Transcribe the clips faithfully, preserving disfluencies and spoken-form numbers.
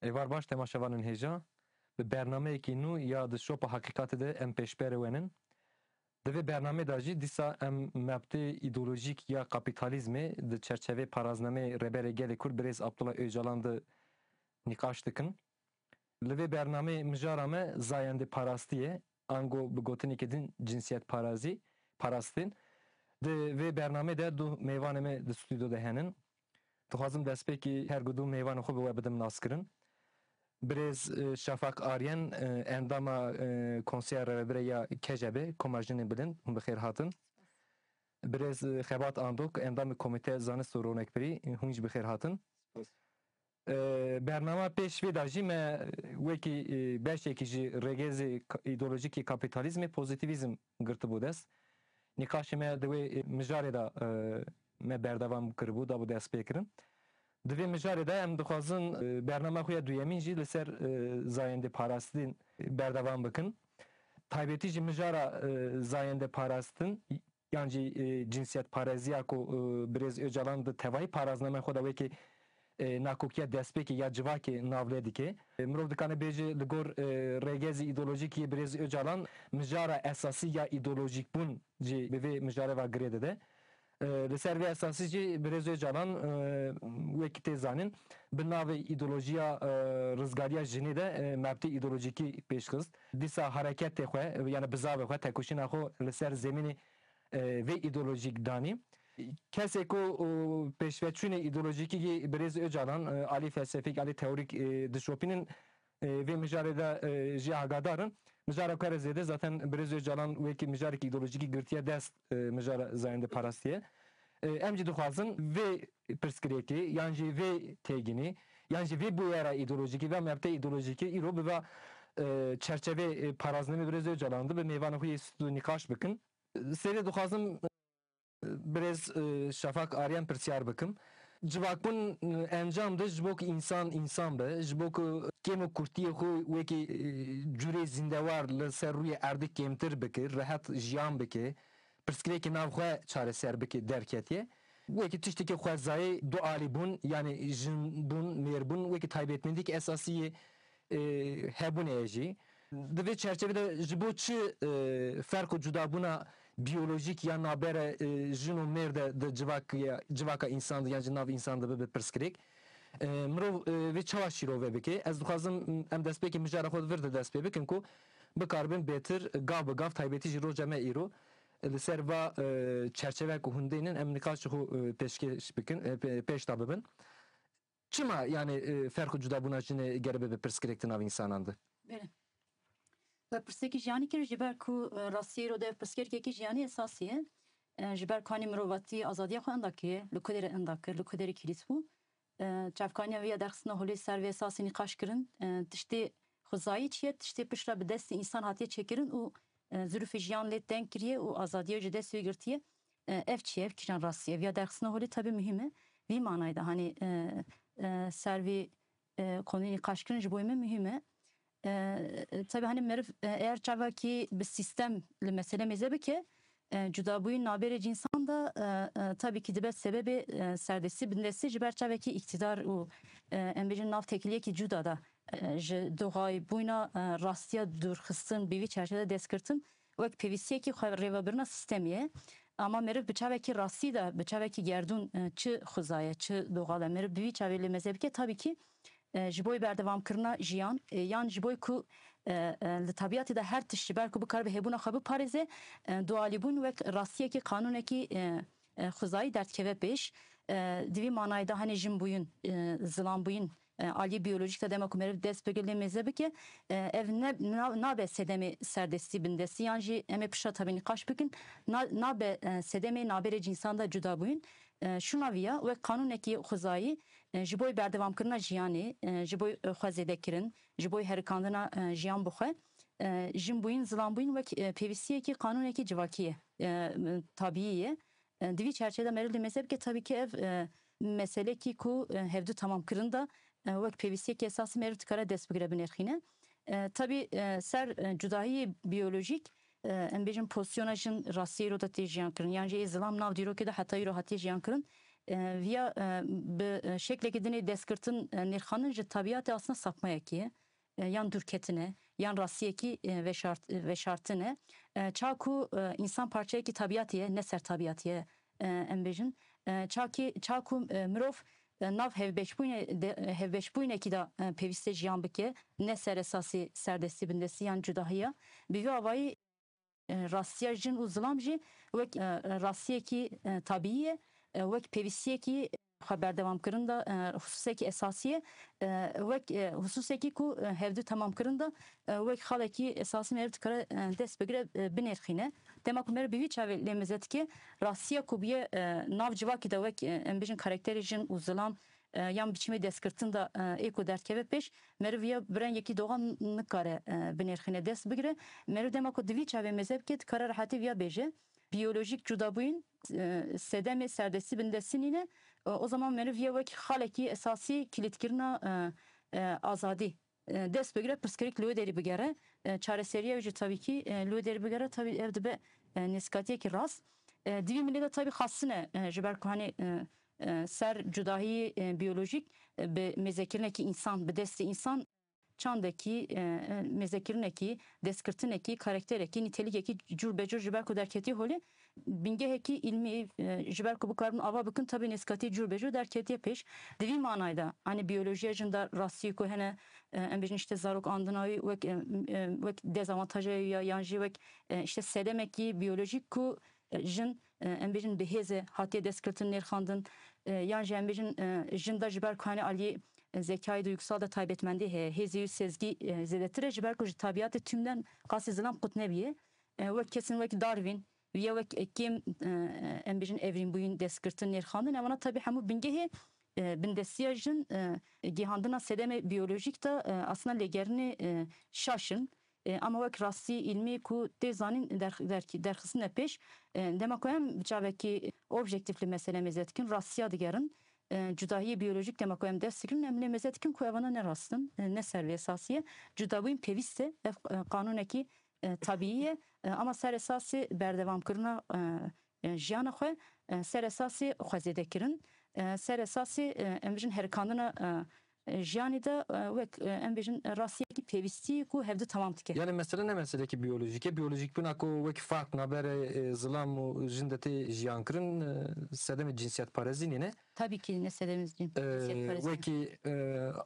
Êvar baş temaşevanên hêja, bi bernameyekî nû ya di Şopa Heqîqatê de em pêşberê we nin. Di vê bernameyê de jî dîsa em mebtê îdeolojîk ya kapîtalîzmê di çerçevê paraznameyê Rêberê Gelê Kurd Birêz Abdullah Ocalan de nîqaş dikin. Li vê bernameyê mijara me zayendê parastî ye, ango bi gotinekê din cinsiyet parazî, parastin. Di vê bernameyê de du mêvanê me di stûdyo de henin. Dixwazim destpêkî her ku du mêvanê xwe bi we bidim naskirin. Birêz, e, Şafak Aryen, e, endama, e, Konseya Rêvebirê ya K J B, Koma Jinên Bilind, hûn bi xêr hatin. Birêz, e, Xebat Andok, endamê Komîteya Zanist û Ronekbirî, hûn jî bi xêr hatin. Spas. E, bernama pêş vê de jî me wekî, e, beşekî ji rêgezê ka-, îdeolojîk yê kapîtalîzmê pozîtîvîzm girtibû dest. Nîqaşê me di wê, e, mijarê de, e, me berdewam kiribû, dabû destpêkirin. Di vê mijarê de em dixwazin, e, bernama xwe ya duyemîn jî li ser, e, zayendê parastin berdewam bikin. Taybetî jî mijara, e, zayendê parastin yan jî, e, cinsiyetpareziya ku, e, Birêz Ocalan di tevahî paraznameyê xwe de wekî, e, nakokiya destpêkê ya civakê navlê dike. E, mirov dikane bêje li gor, e, rêgezî îdeolojîk yê Birêz Ocalan mijara esasî ya îdeolojîkbûn jî bi vê mijarê ve girê dide. E, li ser vê esasî jî Birêz Ocalan, e, wekî tê zanîn, bi navê îdeolojiya, e, rizgariya jinê de, e, mebtê îdeolojîkî pêş xist. Dîsa hareketê xwe, yani bizavê xwe, tekoşîna xwe li ser zemînê, e, vê îdeolojîk danî. Kesê ku, e, pêşveçûnê îdeolojîkî yê Birêz Ocalan, e, alî felsefîk, alî teorîk, e, dişopînin, e, vê mijarê de, e, jî agadar in. Mijara ku here zêde zaten Birêz Ocalan wekî mijarekî îdeolojîkî girtiye dest, e, mijara zayendê parastiye. E, em jî dixwazin vê pirsgirêkê, yan jî vê têginî, yan jî vê bûyera îdeolojîkî ve mebtê îdeolojîkî îro biva, e, çerçevê, e, paraznamê Birêz Ocalan de bi mêvanê xwe yê stûdyo nîqaş bikin. Serê dixwazim, e, Birêz, e, Şafak Aryan pirsyar bikim. Civakbûn, e, encam de ji bo ku însan însan be, ji bo ku kêm û kurtiyê xwe wekî, e, curê zîndewar li ser rûyê erdê kêmtir bike, rehet jiyan bike, pirsgirêkê nav xwe çareser bike, derketiye. Wekî tiştekî xwezayê dualîbûn, yanî jinbûn, mêrbûn, wekî taybetmendîk esasî yê, e, hebûnê ye jî. Di vê çerçevê de ji bo çi, e, ferq û cudabûna biyolojîk ya nabere, e, jin û mêr de di civak-, civaka însan de yan jî nav însan de bibe pirsgirêk? E, mirov, e, vê çawa şîrove bike? Ez dixwazim em destpêkê mijara xwe di vir de dest pê bikin ku bikaribin bêtir gav bi gav, taybetî jî roja me îro, e, li ser va, e, çerçeve ku hûn dênin em nîqaşê xwe, e, pêşkêş bikin, e, pê-, pêş de bibin. Çima, yani, e, ferq û cudabûna jinê gere bibe pirsgirêk di nav însanan de? Belê. We pirsekî jiyanî kir, ji ber ku, e, rastiyê îro de pirsgirêkekî jiyanî esasî ye. E, ji ber ku hanî mirovatî azadiya xwe enda kiriye, li ku derê enda kir, li ku derê kilît bû. E, çavkaniya vê ya derxistina holê ser vê esasî nîqaş kirin. E, tiştê xwezayî çi ye? Tiştê piştre bi destê însan hatiye çêkirin û, e, zirûfê jiyan lê teng kiriye û azadiya ji dest wê girtiye. E, ev çi ye? Ev kîjan rastî ye? Ev ya derxistina holê tabi muhîm e. Vî manayê de, hanî, e, e, ser vî, e, konuyê nîqaş kirin ji bo me muhîm e. E, e, tabi, hanî, meriv, e, eğer çavakî bi sîstem li mesele mêze bike, e, cudabûyî nabêrê cînsan de, e, e, tabi ki dibe sebebê, e, serdestî bindestî ji ber çavekî îktidar û, e, em bêjin nav tekiliyekî cuda de, e, ji doxayîbûyna, e, rastiya dûrxistin bi vî çerçeve de destgirtin wek pêvîstiyekî xwe rêvebirina sîstemî ye. Ama meriv bi çavekî rastî de, bi çavekî gerdûn, e, çi xuzaye, çi doxal e, meriv bi vî çavê lê meze bike, tabii ki, e, ji boy berdewamkirina jiyan, e, yan ji boy ku, e, e, li tabiatê de her tişt ji ber ku bikaribe hebûna xwe biparêze, e, dualîbûn wek rastiyekî, qanûnekî, e, e, xwezayî derdikeve pêş. E, di vî manayê de, hanê, jinbûyîn, e, zilanbûyîn, e, aliyê biyolojîk de dema ku meriv dest pê lê mêze bike, e, ev ne, na-, nabe sedemê serdestî bindestî, yan jî em ê pişta tabi nîqaş bikin, na-, nabe, e, sedemê nabêrê cînsan de cudabûyîn. E, şûna vî ya, wek qanûnekî xwezayî, e, ji bo berdewamkirina jiyanê, e, ji bo, e, xwe zêdekirin, ji bo herikandina, e, jiyan bi xwe, e, jinbûyîn, zilanbûyîn wek, e, pêvîstiyekî, qanûnekî civakî ye, e, tabîî ye. E, di vî çerçevê de meriv lê mêze bike, tabii ki ev, e, meselekî ku, e, hevdu temamkirin de, e, wek pêvîstiyekî esasî meriv dikare dest bigire binêrxîne. E, tabii, e, ser, e, cudahiyê biyolojîk, e, em bêjin pozisyona jin rastiyê îro de tê jiyan kirin. Yan jî ê zilam nav dîrokê de heta îro hatiye jiyan kirin. E, viya, e, bi, e, şeklekî dinê destgirtin, e, nêrxandin ji tabiatê aslında sapmayekî ye, e, yan dûrketin e, yan rastiyekî, e, veşart-, veşartin e. E, ça ku, e, însan parçeyekî tabiatê ye, ne ser tabiatê ye, e, em bêjin. E, ça ki, ça ku, e, mirov, e, nav hevbeşbûyne-, de, e, hevbeşbûynekî de, e, pêwîste jiyan bike, ne ser esasî serdestî, bindestî yan cudahiya. Bi vî avayî, e, rastiya jin û zilam jî wek, e, rastiyekî, e, tabîî ye, e, wek pêwîstiyekî xwe berdewamkirin de, e, hususekî esasî ye, e, wek, e, hususekî ku, e, hevdu temamkirin de, e, wek xalekî esasî meriv dikare, e, dest bigire, e, binêrxîne. Dema ku meriv bi vî çavê lê meze dike, rastiya ku bûye, e, nav civakî de wek, e, em bêjin karakterê jin û zilam, e, yan biçimê destgirtin de, e, ê ku derdkeve pêş, meriv ya bi rengekî doxan nikare, e, binêrxîne, dest bigire. Meriv dema ku di vî çavê meze bike, dikare rehetî viya bêje. Biyolojîk cudabûyîn, e, sedemê serdestî bindestî nîne. E, o zaman meriv ya wek xalekî esasî kilîtkirina, e, e, azadî, e, dest bigire, pirsgirêk li wê derî bigere. E, çareseriya wê jî tabî kî, e, li wê derî bigere, tabî ev dibe, e, nêzikatiyekî rast. E, di vî milê de tabî xastin e, e, ji ber ku hanê, e, e, ser cudahiyê, e, biyolojîk, e, bi mêzekirinekî însan, bi destê însan çandekî, e, e, mêzekirinekî, destgirtinekî, karakterekî, nîtelîkekî cûr be cûr ji ber ku derketî holê, bingehekî îlmî, e, ji ber ku bikaribin ava bikin, tabî nêzikatî cûr be cûr derketiye pêş. Di vî manayê de, hanê biyolojiya jin de rastî ku hene, e, em bêjin işte zarok andina wî wek, e, e, wek dezavantaja wî ya, yan jî wek, e, işte sedemekî biyolojîk ku, e, jin, e, em bêjin bi hêze hatiye destgirtin, nêrxandin, e, yan jî em bêjin, e, jin de ji ber ku hanê aliyê, e, zekayê duygusal de taybetmendî heye. Hêzê wî sezgî, e, zêdetir e, ji ber ku ji tabiatê tümden qasî zilam qut nebiye. E, wek kesên wek Darwin, ya wek, e, kêm, e, em bêjin evrînbûyîn, destgirtin, nêrxandin, ewana tabî hemû bingehê, e, bindestiya jin, e, gihandina sedemê biyolojîk de, e, aslında lêgerînê, e, şaş in. E, ama wek rastî îlmî ku tê zanîn derx-, derxî-, derxistine pêş, e, dema ku em bi çavekî objektîf li mesele mêze dikin, rastiya digerin, e, cudahiyê biyolojîk dema ku em dest dikin, em lê mêze dikin ku evana ne rast in, e, ne ser vê esasî ye. Cudabûyîn pêwîst e, ev, e, qanûnekî, e, tabîî ye, e, ama ser esasê berdewamkirina, e, e, jiyana xwe, e, ser esasê xwezêdekirin, e, ser esasê, e, em bijin herikandina, e, e, jiyanê de, e, wek, e, em bêjin, rastiyekî pêwîstî ku hevdu temam dike. Yani mesele ne meselekî biyolojîk e. Biyolojîkbûna ku wek fark navberê, e, zilam û jin de tê jiyan kirin, e, sedemê cinsiyetparêzî nîne. Tabii ki ne sedemê cin-, E, cinsiyetparêzî. Wekî, e,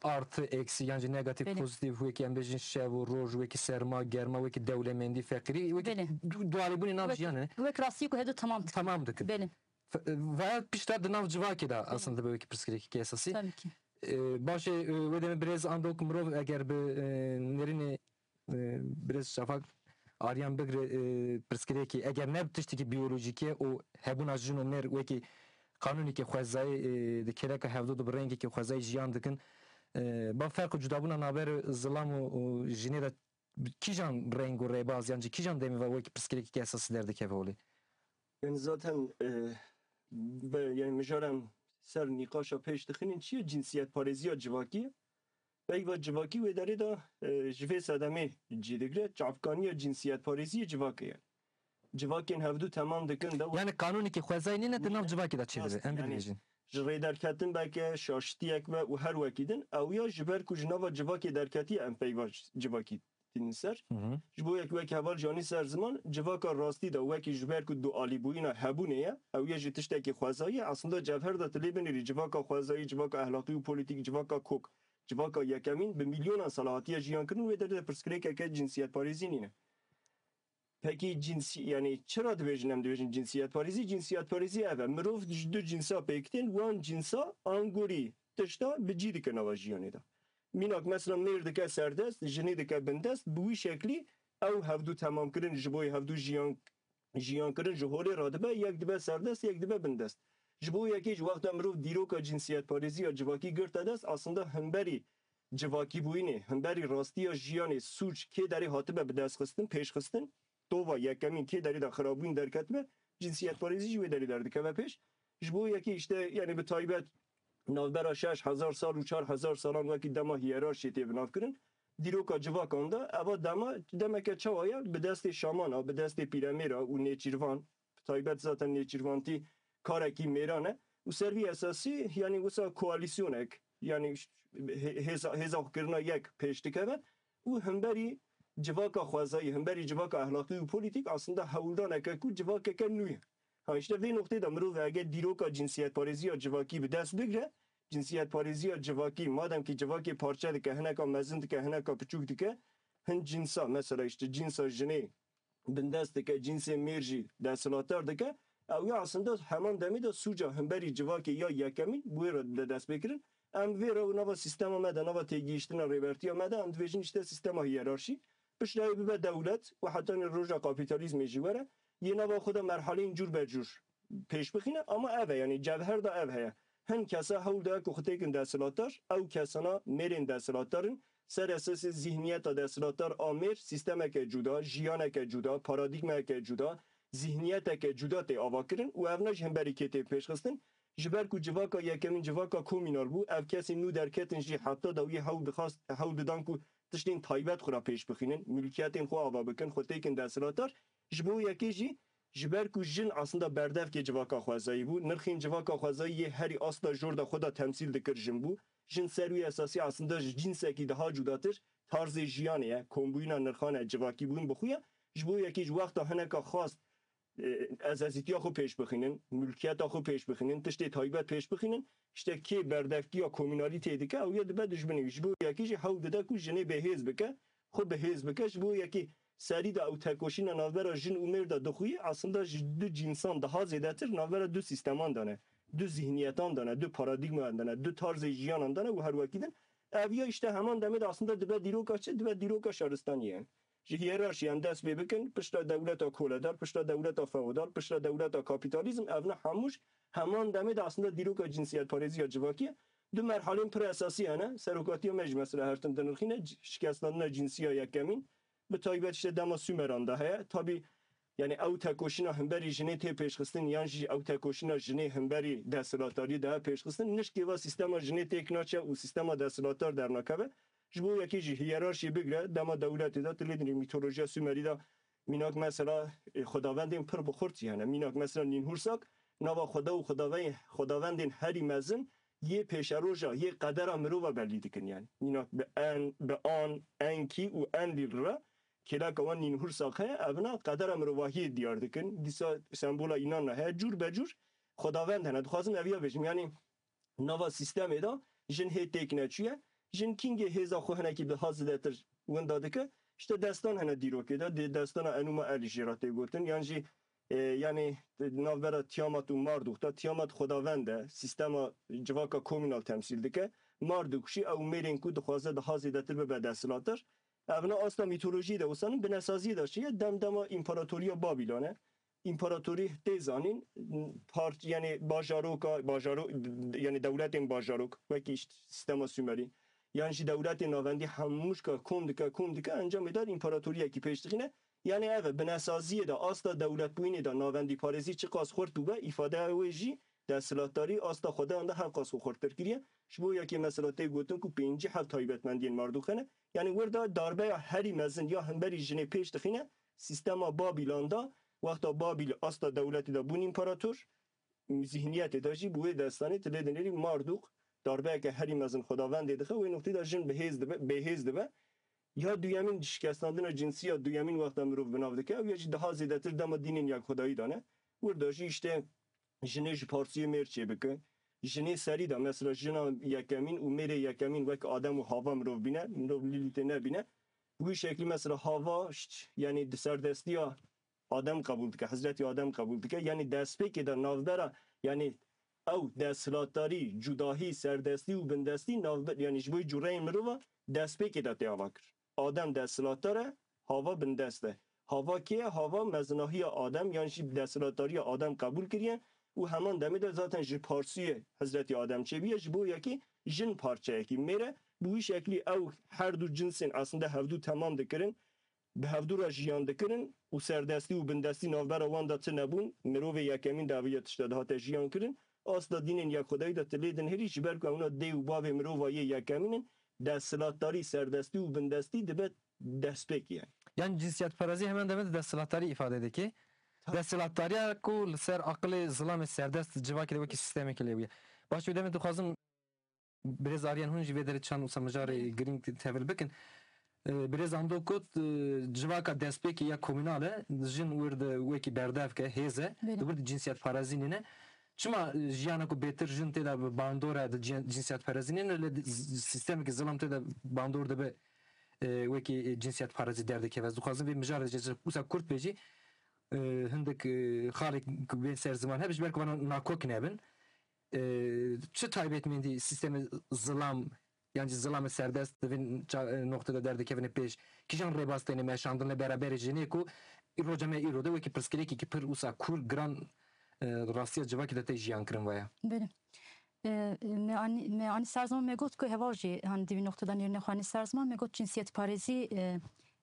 artı, eksi, yan jî negatif, Belê. Pozitif, wekî em bêjin şev û roj, wekî serma, germa, wekî dewlemendî, feqîrî, wekî Belê. du-, dualîbûnê nav Wek, jiyanê ne? Wek rastiyê ku hevdu temam dike. Tamam dikin. Belê. F-, e, veya pişta di nav civakê de aslında dibe wekî pirsgirêkekî esasî. Tabii ki. E, baş e, e, wê demê birêz Andok mirov eger bi, e, nêrînê, e, birêz Şafak Aryan bigire, e, pirsgirêkî, eger ne bi tiştekî biyolojîk e û hebûna jin û mêr wekî qanûnekî xwezayî, e, di kêleka hevdu de bi rengekî xwezayî jiyan dikin, e, ba ferq û cudabûna navber zilam û, û jinê de bi kîjan reng û rêbaz, yan jî kîjan demê ve wekî pirsgirêkekî esasî derdikeve holê? Yani zaten, e, be, yani mijaran ser nîqaşa pêş dixinin çi ye? Cinsiyetparêziya civakî ye. Peyva civakî wê derê de, e, ji vê sedemê cî digire, çavkaniya cinsiyetparêziyê civakê ye. Civakên hevdu temam dikin de Yani qanûnekî xwezayî nîne di nav civakê de çêdibe. Rast, Em yani bibêjin. Ji rê derketin beke, şaştiyek be û her wekî din, ew ya ji ber ku ji nava civakê derketiye em peyva civakî tînin ser. Hı hı. Ji bo yek wek heval janî ser ziman, civaka rastî de wekî ji ber ku dualîbûyîna hebûnê ye, ew ya jî tiştekî xwezayî ye, aslında cevher de tu lê binêrî civaka xwezayî, civaka ehlaqî û polîtîk, civaka kok, civaka yekemîn bi milyonan sala hatiye jiyan kirin, wê derê de pirsgirêkeke cinsiyetparêzî nîne. Pekî cinsî-, yani çira dibêjin em dibêjin cinsiyetparêzî? Cinsiyetparêzî ev e. Mirov ji du cinsa pêk tên, wan cinsa angorî tişta bi cî dike nava jiyanê de. Mînak mesela mêr dike serdest, jinê dike bindest, bi wî şeklî ew hevdu temamkirin ji bo hevdu jiyan, jiyan kirin ji holê radibe, yek dibe serdest, yek dibe bindest. Ji bo yekê ji wexta mirov dîroka cinsiyetparêziya civakî girte dest, aslında himberî civakîbûyînê, himberî rastiya jiyanê, sûc kê derê hatibe bidestxistin, pêşxistin, tova yekemîn kê derê de xirabûyîn derketibe, cinsiyetparêzî jî wê derê derdikeve pêş. Ji bo yekê işte, yani bi taybet navbera şeş hezar sal û çar hezar salan wekî dema hiyerarşiyê tê binavkirin, dîroka civakan de eva dema, demeke çawa ye, bi destê şamana, bi destê pîremêra û nêçîrvan, bi taybet zaten nêçîrvantî karekî mêran e. Û ser vî esasî, yanî wisa koalîsyonek, yanî ş-, hê-, hêza, hêza xwe kirina yek pêş dikeve û hemberî civaka xwezayî, hemberî civaka ehlaqî û polîtîk aslında hewldaneke ku civakeke nû ye. Ha, işte vê noqtê de mirov eger dîroka cinsiyetparêziya civakî bi dest bigre, cinsiyetparêziya civakî, madem ki civakê parçe dike, hineka mezin dike, hineka piçûk dike, hin cinsa, mesela işte cinsa jinê bindest dike, cinsê mêr jî desthilatdar dike, ew ya aslında heman demê de sûca hemberî civakê ya yekemîn bi wê re dide destpêkirin. Em vê re û nava sîstema me de, nava têgihiştina rêbertiya me de, em dibêjin işte sîstema hiyerarşî. Piştre ew bibe dewlet û heta nê roja kapîtalîzmê jî were, yê nava xwe de merhaleyên cûr be cûr pêş bixîne, ama ev e, yanî cevher de ev heye. Hin kesa hewl daya ku xwe têkin desthilatdar, ew kesana mêrên desthilatdar in, ser esasê zihniyeta desthilatdar a mêr, sîstemeke cuda, jiyaneke cuda, paradîgmeyeke cuda, zihniyeteke cuda tê avakirin û evna ji hemberî kê tê pêşxistin. Ji ber ku civaka yekemîn civaka komînal bû, ev kesên nû derketin jî heta dawiyê hewl dixwest, hewl didan ku tiştên taybet xwe re pêş bixînin, milkiyetên xwe ava bikin, xwe têkin desthilatdar. Ji bo yekê jî, ji ber ku jin aslında berdevkê civaka xwezayî bû, nirxên civaka xwezayî yê herî asta jor de xwe de temsîl dikir jin bû. Jin ser wî esasî aslında ji cînsekî daha cudatir tarzê jiyanê ye, kombûyîna nirxan e, civakîbûn bi xwe ye. Ji bo yekê ji wexta hineka xwast, e, ezezîtiya xwe pêş bixînin, milkiyeta xwe pêş bixînin, tiştê taybet pêş bixînin, işte kê berdevkiya komînalî tê dike, ew ya dibe dijminê wî. Ji bo yekê jî hewl dide ku jinê bêhêz bike, xwe bihêz bike. Ji bo yekê serî de ew tekoşîna navbera jin û mêr de dixuye, aslında ji du cînsan daha zêdetir navbera du sîsteman de ne, du zihniyetan de ne, du paradîgmayan de ne, du tarzê jiyanan de ne û her wekî din. Ev ya işte heman demê de aslında dibe dîroka çi? Dibe dîroka şaristaniyê. Ji hiyerarşiyan dest pê bikin, pişta dewleta koledar, pişta dewleta feodal, pişta dewleta kapîtalîzm, evna hemû ji heman demê de aslında dîroka cinsiyetparêziya civakî ye. Du merhalên pir esasî hene. Serokatiya me jî mesela her tim dinirxîne, c-, şikestandina cinsiya yekemîn, bi taybet işte dema Sumeran de heye. Tabî, yani ew tekoşîna hemberî jinê tê pêşxistin, yan jî ew tekoşîna jinê hemberî desthilatdariyê de pêşxistin, nişkê ve sîstema jinê têk naçe û sîstema desthilatdar dernakeve. Ji bo yekê jî hiyerarşiyê bigire, dema dewletê de, tu lê dinê mîtolojiya Sumerî de mînak mesela, e, xwedavendên pir bi xurt hene. Mînak mesela Nînhursak, nava xweda û xwedavey-, xwedavendên herî mezin yê pêşeroja, yê qedera mirova belî dikin yani. Mînak bi En, bi An, Enki û Enlil re kêleka wan Nînhursak heye, evna qedera mirovahiyê diyar dikin. Dîsa sembola înanna heye, cûr be cûr xwedavend hene. Dixwazim ev ya bêjim, yani nava sîstemê de jin hê têk neçûye. Jin kîngê hêza xwe hinekî daha zêdetir winda dike. İşte destan hene dîrokê de, dê-, destana Enuma Elî jê re tê gotin. Yan jî, e, yani navbera Tiamat û Mardûk de, Tiamat xwedavend e, sîstema civaka komînal temsîl dike. Mardûk jî ew mêrên ku dixwaze daha zêdetir bibe desthilatdar. Evna asta mîtolojiyê de wisa ne, binesaziyê de çi ye? Dem dema împaratoriya Babîlon e. Împaratorî tê zanîn, par-, yani bajaroka, bajaro-, yani dewletên bajarok, wekî işte sîstema Sumerî, yan jî dewletên navendî hemûşka kom dike, kom dike, encamê dar împaratoriyekî pêş dixîne. Yani ev e, binesaziyê de, asta dewletbûyînê de navendîparêzî çiqas xurt bûbe, îfadeya wê jî desthilatdarî asta xwedeyan de her qas xwe xurttir kiriye. Ji bo yekê mesela tê gotin ku pêncî heft taybetmendiyên Mardûk hene. Yani wir de darbeya herî mezin ya hemberî jinê pêş dixîne, sîstema Babîlan de, wexta Babîl asta dewletê de bûn împarator, zihniyetê de jî bi wê destanê tu lê dinêrî Mardûk darbeyeke herî mezin xwedavendê dixe, wê noqtê de jin bihêz dibe, bêhêz dibe. Ya duyemîn şikestandina cinsî ya duyemîn wexta mirov bi nav dike, ew ya jî daha zêdetir dema dînên yekxwedayî de ne. Wir de jî işte jinê ji parsiyê mêr çêbike. Jinê serî de mesela jina yekemîn û mêrê yekemîn wek Adem û Hava mirov bîne, mirov Lîlîtê nebîne. Bi wî şeklî mesela Hava, ş-, yani di serdestiya Adem qebûl dike, Hezretî Adem qebûl dike. Yani destpêkê de navbera, yani ew desthilatdarî, cudahî, serdestî û bindestî navbe-, yani ji bo cureyên mirova destpêkê de tê ava kir. Adem desthilatdar e, Hava bindest e. Hava kê ye? Hava mezinahiya Adem, yan jî desthilatdariya Adem qebûl kiriye û heman demê de zaten ji parsiyê Hezretî Adem çêbûye, ji bo yekî jin parçeyekî mêr e. Bi wî şeklî ew her du cinsên aslında hevdu temam dikirin, bi hevdu re jiyan dikirin û serdestî û bindestî navbera wan de tune bûn. Mirovê yekemîn de eviya tişta dihate jiyan kirin. Asta dînên yekxwedayî de tu lê dinihêrî, ji ber ku ewna dê û bavê mirova yê yekemîn in, desthilatdarî, serdestî û bindestî dibe destpêkê ye. Yani cinsiyetperestî hemen demê de desthilatdarî îfade dike. Desthilatdariya ku li ser aqilê zilamê serdest civakê de wekî sîstemekê lê bûye. Baş, wê demê dixwazim birêz Aryan hûn jî vê derê çend wisa mijarê girîng tevil bikin. Ee, Birêz Ando got, e, civaka destpêkê ya komînal e, jin wir de wekî berdevk e, hêz e, Belê. Di wir de cinsiyetparêzî nîne. Çima, e, jiyana ku bêtir jin tê de bi bandor e, di cin-, cinsiyetparêzî nîne, lê di z-, sîstemekî zilam tê de bandor dibe, e, wekî, e, cinsiyetparêzî derdikeve? Ez dixwazim vê mijarê de wisa kurt bêjî, e, hindik, e, xalek ku bên ser ziman hebe, ji ber ku vana nakok nebin. E, çi taybetmendî sîstemê zilam, yan jî zilamê serdest di vê ça-, e, noqtê de derdikevine pêş? Kîjan rêbaz têne meşandin li beraberê jinê ku roja me îro de wekî pirsgirêkekî pir wisa kûr, giran, e, rastiya civakê de tê jiyan kirin vaya? Belê. E, me anî, me anî ser ziman me got ku heval jî, hani, di vî noqtê de nêrînê xwe anî ser ziman, me got cinsiyetparêzî, e,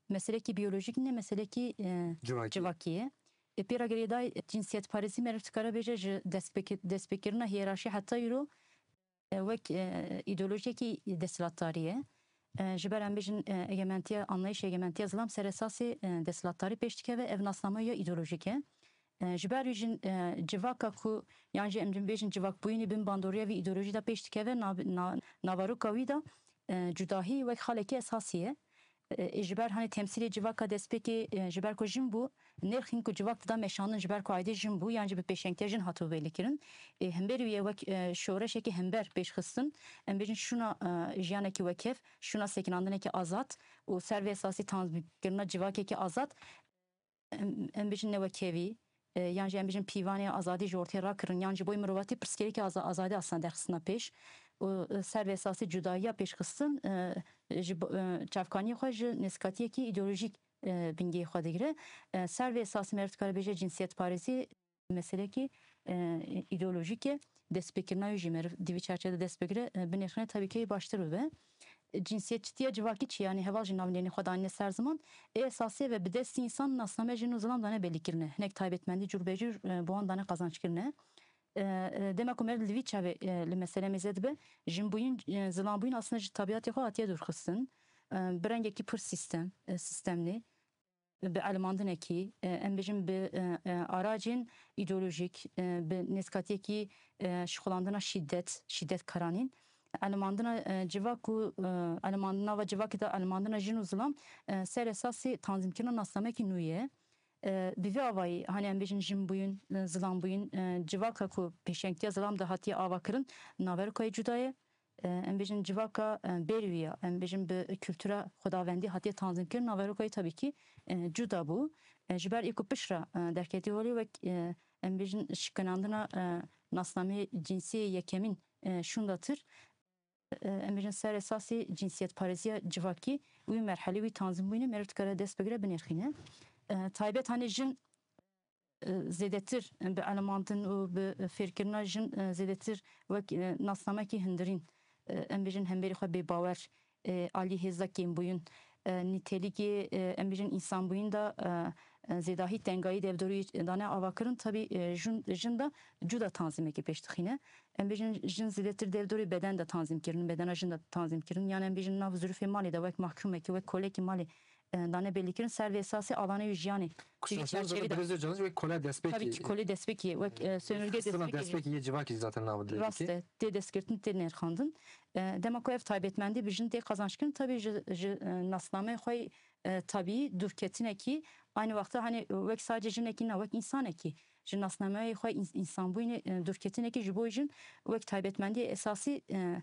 meselekî biyolojîk nîne, meselekî, e, Civakî. Civakî ye. E, pê re girêdayî cinsiyetparêzî meriv dikare bêje ji destpêki-, destpêkirina hiyerarşî heta îro, e, wek, e, îdeolojiyekî desthilatdarî ye. E, ji ber em bêjin, e, egementiya, anlayışê egementiya zilam ser esasê, e, desthilatdarî pêş dikeve, ev nasname ya îdeolojîk e. E, ji ber wî jin, e, civaka ku, yan jî em bêjin civakbûyînê bin bandoriya vî îdeolojî de pêş dikeve, nav-, na-, naveroka wî de, e, cudahî wek xalekî esasî ye. E, ji ber, hani, temsîlê civaka destpêkê, e, ji ber ku jin bû, nirxîn ku civak dida meşandin, ji ber ku aîdê jin bû, yan jî bi pêşengtiya jin hatibû belîkirin. E, hemberî wî ye wek, e, şoreşekî hember pêşxistin. Em bêjin şûna, e, jiyanekî wekhev, şûna sekinandinekî azad û ser vê esasî tanzîmkirina civakekî azad. Em, em bêjin newekhevî, e, yan jî em bêjin pîvanê azadî ji ortê rakirin, yan ji bo mirovatî pirsgirêkê aza-, azadî aslında derxistina pêş. Û, e, ser vê esasî cudayiya pêşxistin, e, ji bo, e, çavkaniyê xwe ji nêzikatiyekî îdeolojîk, e, bingehê xwe digire. E, ser vê esasî meriv dikare bêje cinsiyetparêzî meselekî, e, îdeolojîk e. Destpêkirina wî jî meriv di vî çerçevê de dest bigire, e, binêrxine tabii ki baştir bibe. Cinsiyetçitiya civakî çi, yanî heval jî navnêrînê xwe danîne ser ziman. Ê esasî ve bi destî însan nasname jin û zilam dane belîkirine. Hinek taybetmendî cûr be cûr, e, bi wan dane qazançkirine. E, e, dema ku meriv li vî çavê, e, li mesele mêze dibe, jinbûyîn, e, zilanbûyîn aslında ji tabiatê xwe hatiye dûrxistin. E, bi rengekî pir sîstem, e, sîstemlî, bi elimandinekî, e, em bêjin bi, e, e, aracên îdeolojîk, e, bi nêzikatiyekî, e, şixulandina şîdet, şîdetkaranîn, elimandina, e, civak û, e, elimandina ve civakê de elimandina jin û zilam, e, ser esasê tanzîmkirina nasnamekî nû ye. E, bi vî avayî, hani em bêjin jinbûyîn, e, zilanbûyîn, e, civaka ku pêşengtiya zilam de hatiye avakirin, naverokayê cuda ye. E, em bêjin civaka, e, berî wî ya, em bêjin bi kultura xwedawendî hatiye tanzîmkirin, naverokayê tabii ki, e, cuda bû. E, ji ber ê ku pişt re, e, derketî holê wek, e, em bêjin şikinandina, e, nasnameyê cinsiyê yekemîn, e, şûndatir, e, em bêjin ser esasê cinsiyetparêziya civakî wî merhelê, wî tanzîmbûyînê meriv dikare dest bigire binêrxîne. E, taybet hani jin, e, zêdetir bi elimandin û bi fêrkirina jin, e, zêdetir wek, e, nasnamekî hundirîn, e, em bêjin hemberî xwe bêbawer, e, alî hêza kêmbûyîn, e, nîtelîkê, e, em bêjin însanbûyîn de, e, e, zêdahî tengayî devdorî dane avakirin, tabî, e, jin, jin de cuda tanzîmekê pêş dixîne. Em bêjin jin zêdetir devdorê beden de tanzîm kirin, bedena jin de tanzîm kirin. Yan em bêjin nav zirûfê malê de wek mahkûmekî, wek kolekî malê, e, dane belîkirin. Ser vê esasê alanê wî jiyanê. Di vî Kuştaşlar çerçevê zaten de Birêz Ocalan wek kole destpêkê. Tabii ki kole destpêkê, wek, e, sömürge Xistina destpêkê. Destpêkê yê civakî zaten navê Rast dirêkê. E, tê destgirtin, tê nirxandin. E, dema ku ev taybetmendî bi jin tê qazançkirin, tabii ji, ji, e, nasnameyê xwe, e, tabii dûrketinekî, aynı wexta hani wek sadece jinekî ne, wek însanekî. Ji nasnameyê xwe îns-, însanbûyînê, e, dûrketinekî ji bo jin wek taybetmendiyê esasî, e,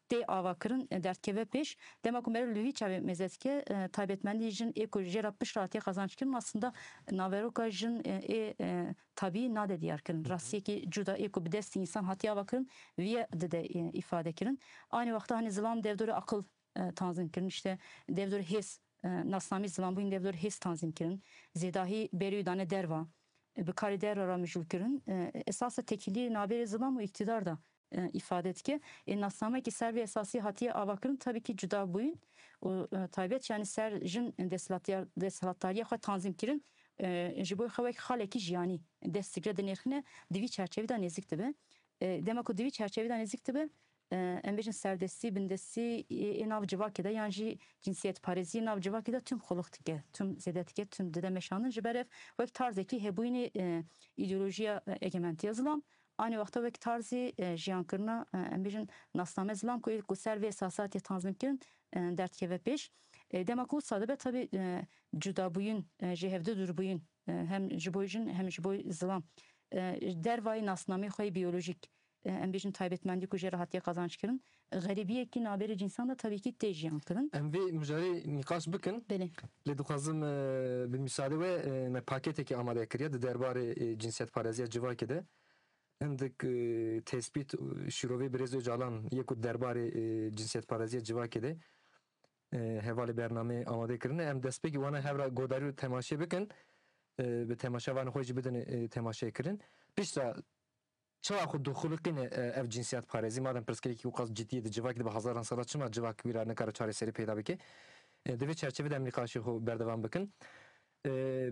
tê avakirin, e, derdikeve pêş. Dema ku meriv li vî çavê mêze dike, e, taybetmendî jin ê ku jê re pişt re hatiye qazançkirin, aslında naveroka jin, e, ê, e, tabî nade diyarkirin. Hı hı. Rastiyekî cuda ê ku bi destî însan hatiye avakirin, viye dide, e, îfade kirin. Aynı wexta hani zilam devdorê aqil, e, tanzîm kirin, işte devdorê hêz, e, nasnamî zilanbûyîn devdorê hêz tanzîm kirin. Zêdahî berî wî dane derva, e, bi karê derve re mijûl kirin. E, esasa tekîliyê navbêrê zilam û îktidar de, e, îfade dike. Ê nasnameyekî ser vê esasî hatiye avakirin, tabii ki cuda bûyîn û, e, taybet, yani ser jin desthilatdar-, desthilatdariya xwe tanzîm kirin, e, ji bo xwe wek xalekî jiyanî dest digre dinêrxine, di vî çerçevî de nêzik dibe. E, dema ku di vî çerçevî de nêzik dibe, e, em bêjin serdestî, bindestî ê, ê nav civakê de yan jî cinsiyetparêzî nav civakê de tüm xulix dike, tüm zêde dike, tüm dide meşandin. Ji ber ev wek tarzekî hebûyînê, e, îdeolojiya, e, egementiya zilam, anî wexta wek tarzî, e, jiyankirina, e, em bêjin nasname zilam ku ê ku ser vê esasê hatiye tanzîmkirin, e, derdikeve pêş. E, dema ku wisa dibe tabî, e, cudabûyîn, e, ji hevdu dûrbûyîn, e, hem ji bo jin hem ji bo zilam, e, dervayî nasnameyê xwe yê biyolojîk, e, em bêjin taybetmendî ku jê re hatiye qazanc kirin, xerîbiyekî navbêrê cînsan de tabî kî tê jiyan kirin. Em vê mijarê nîqaş bikin. Belê. Lê dixwazim, e, bi mîsadê we, e, me paketekê amade kiriye di derbarê, e, cinsiyetpareziya civakê de. Hindik, e, tespît, e, şîrovê Birêz Ocalan yê ku derbarê, e, cinsiyetpareziya civakê de, e, hevalê bernameyê amade kirine. Em destpêkî wana hev re guhdarî û temaşê bikin. E, bi temaşevanê xwe jî bidin, e, temaşekirin. Piştre çawa xwe dixuliqîne, e, ev cinsiyetparêzî? Madem pirsgirêkî wî qas cidî ye di civakê de bi hezaran sala, çima civak wî re nikare çareserî peyda bike? E, di vê çerçevê de em nîqaşê xwe berdewam bikin. E,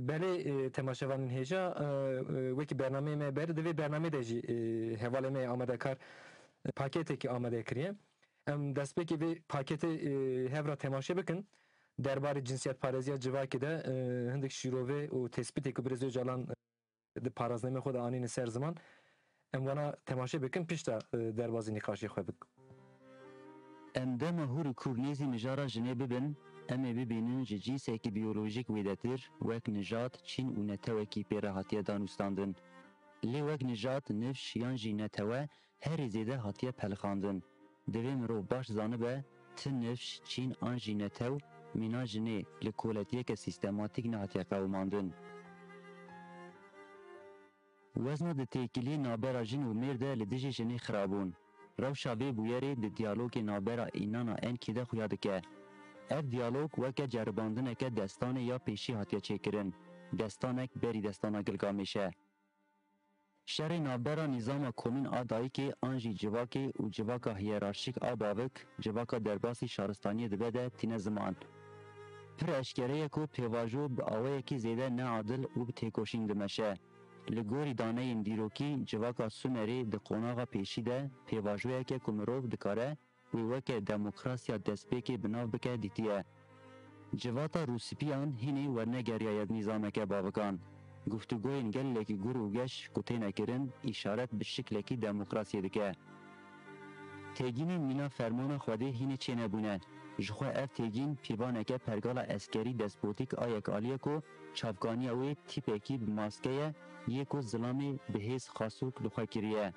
belê, e, temaşevanên hêja, e, e, wekî bernameyê me ber, di vê bernameyê de jî, e, hevalê me yê amadekar, e, paketekî amade kiriye. Em destpêkê vê paketê, e, hev re temaşe bikin. Derbarê cinsiyetpareziya civakê de, e, hindik şîrove û tespîtê ku Birêz Ocalan, e, di paraznameyê xwe de anîne ser ziman. Em wana temaşe bikin, piştre, e, derbazî nîqaşê xwe bikin. Em dema hûr û kûr nêzî mijara jinê bibin, em ê bibînin ji cînsekî biyolojîk wêdetir, wek nijad, çîn û netewekî pê re hatiye danûstandin. Lê wek nijad, nifş yan jî netewe herî zêde hatiye pelixandin. Divê mirov baş zanibe, ti nifş, çîn an jî netew mîna jinê li koletiyeke sîstematîk nehatiye qewimandin. Wezna di têkiliyê navbera jin û mêr de li dijî jinê xirabûn. Rewşa vê bûyerê di diyalogê navbera Înana Enkî de xuya dike. Ev diyalog weke ceribandineke destanê ya pêşî hatiye çêkirin, destanek berî destana Gilgamêş e. Şerê navbera nîzama komîn a dayikê an jî civakê û civaka hiyerarşîk a bavik, civaka derbasî şaristaniyê dibe de tîne ziman. Pir eşkere ye ku pêvajo bi awayekî zêde neadil û bi têkoşîn dimeşe. Li gorî daneyên dîrokî, civaka Sumerê di qonaxa pêşî de pêvajoyeke ku mirov dikare wê weke demokrasiya destpêkê bi nav bike dîtiye. Civata rûspîyan hînî wernegeriyaye nîzameke bavikan. Guftûgoyên gelekî gur û geş ku têne kirin, îşaret bi şiklekî demokrasiyê dike. Têgînên mîna fermana Xwedê hînî çênebûne. Ji xwe ev têgîn pîvaneke pergala eskerî despotîk a yekaliyê ku çavkaniya wê tîpekî bi maske ye, yê ku zilamê bi hêz xasok li xwe kiriye.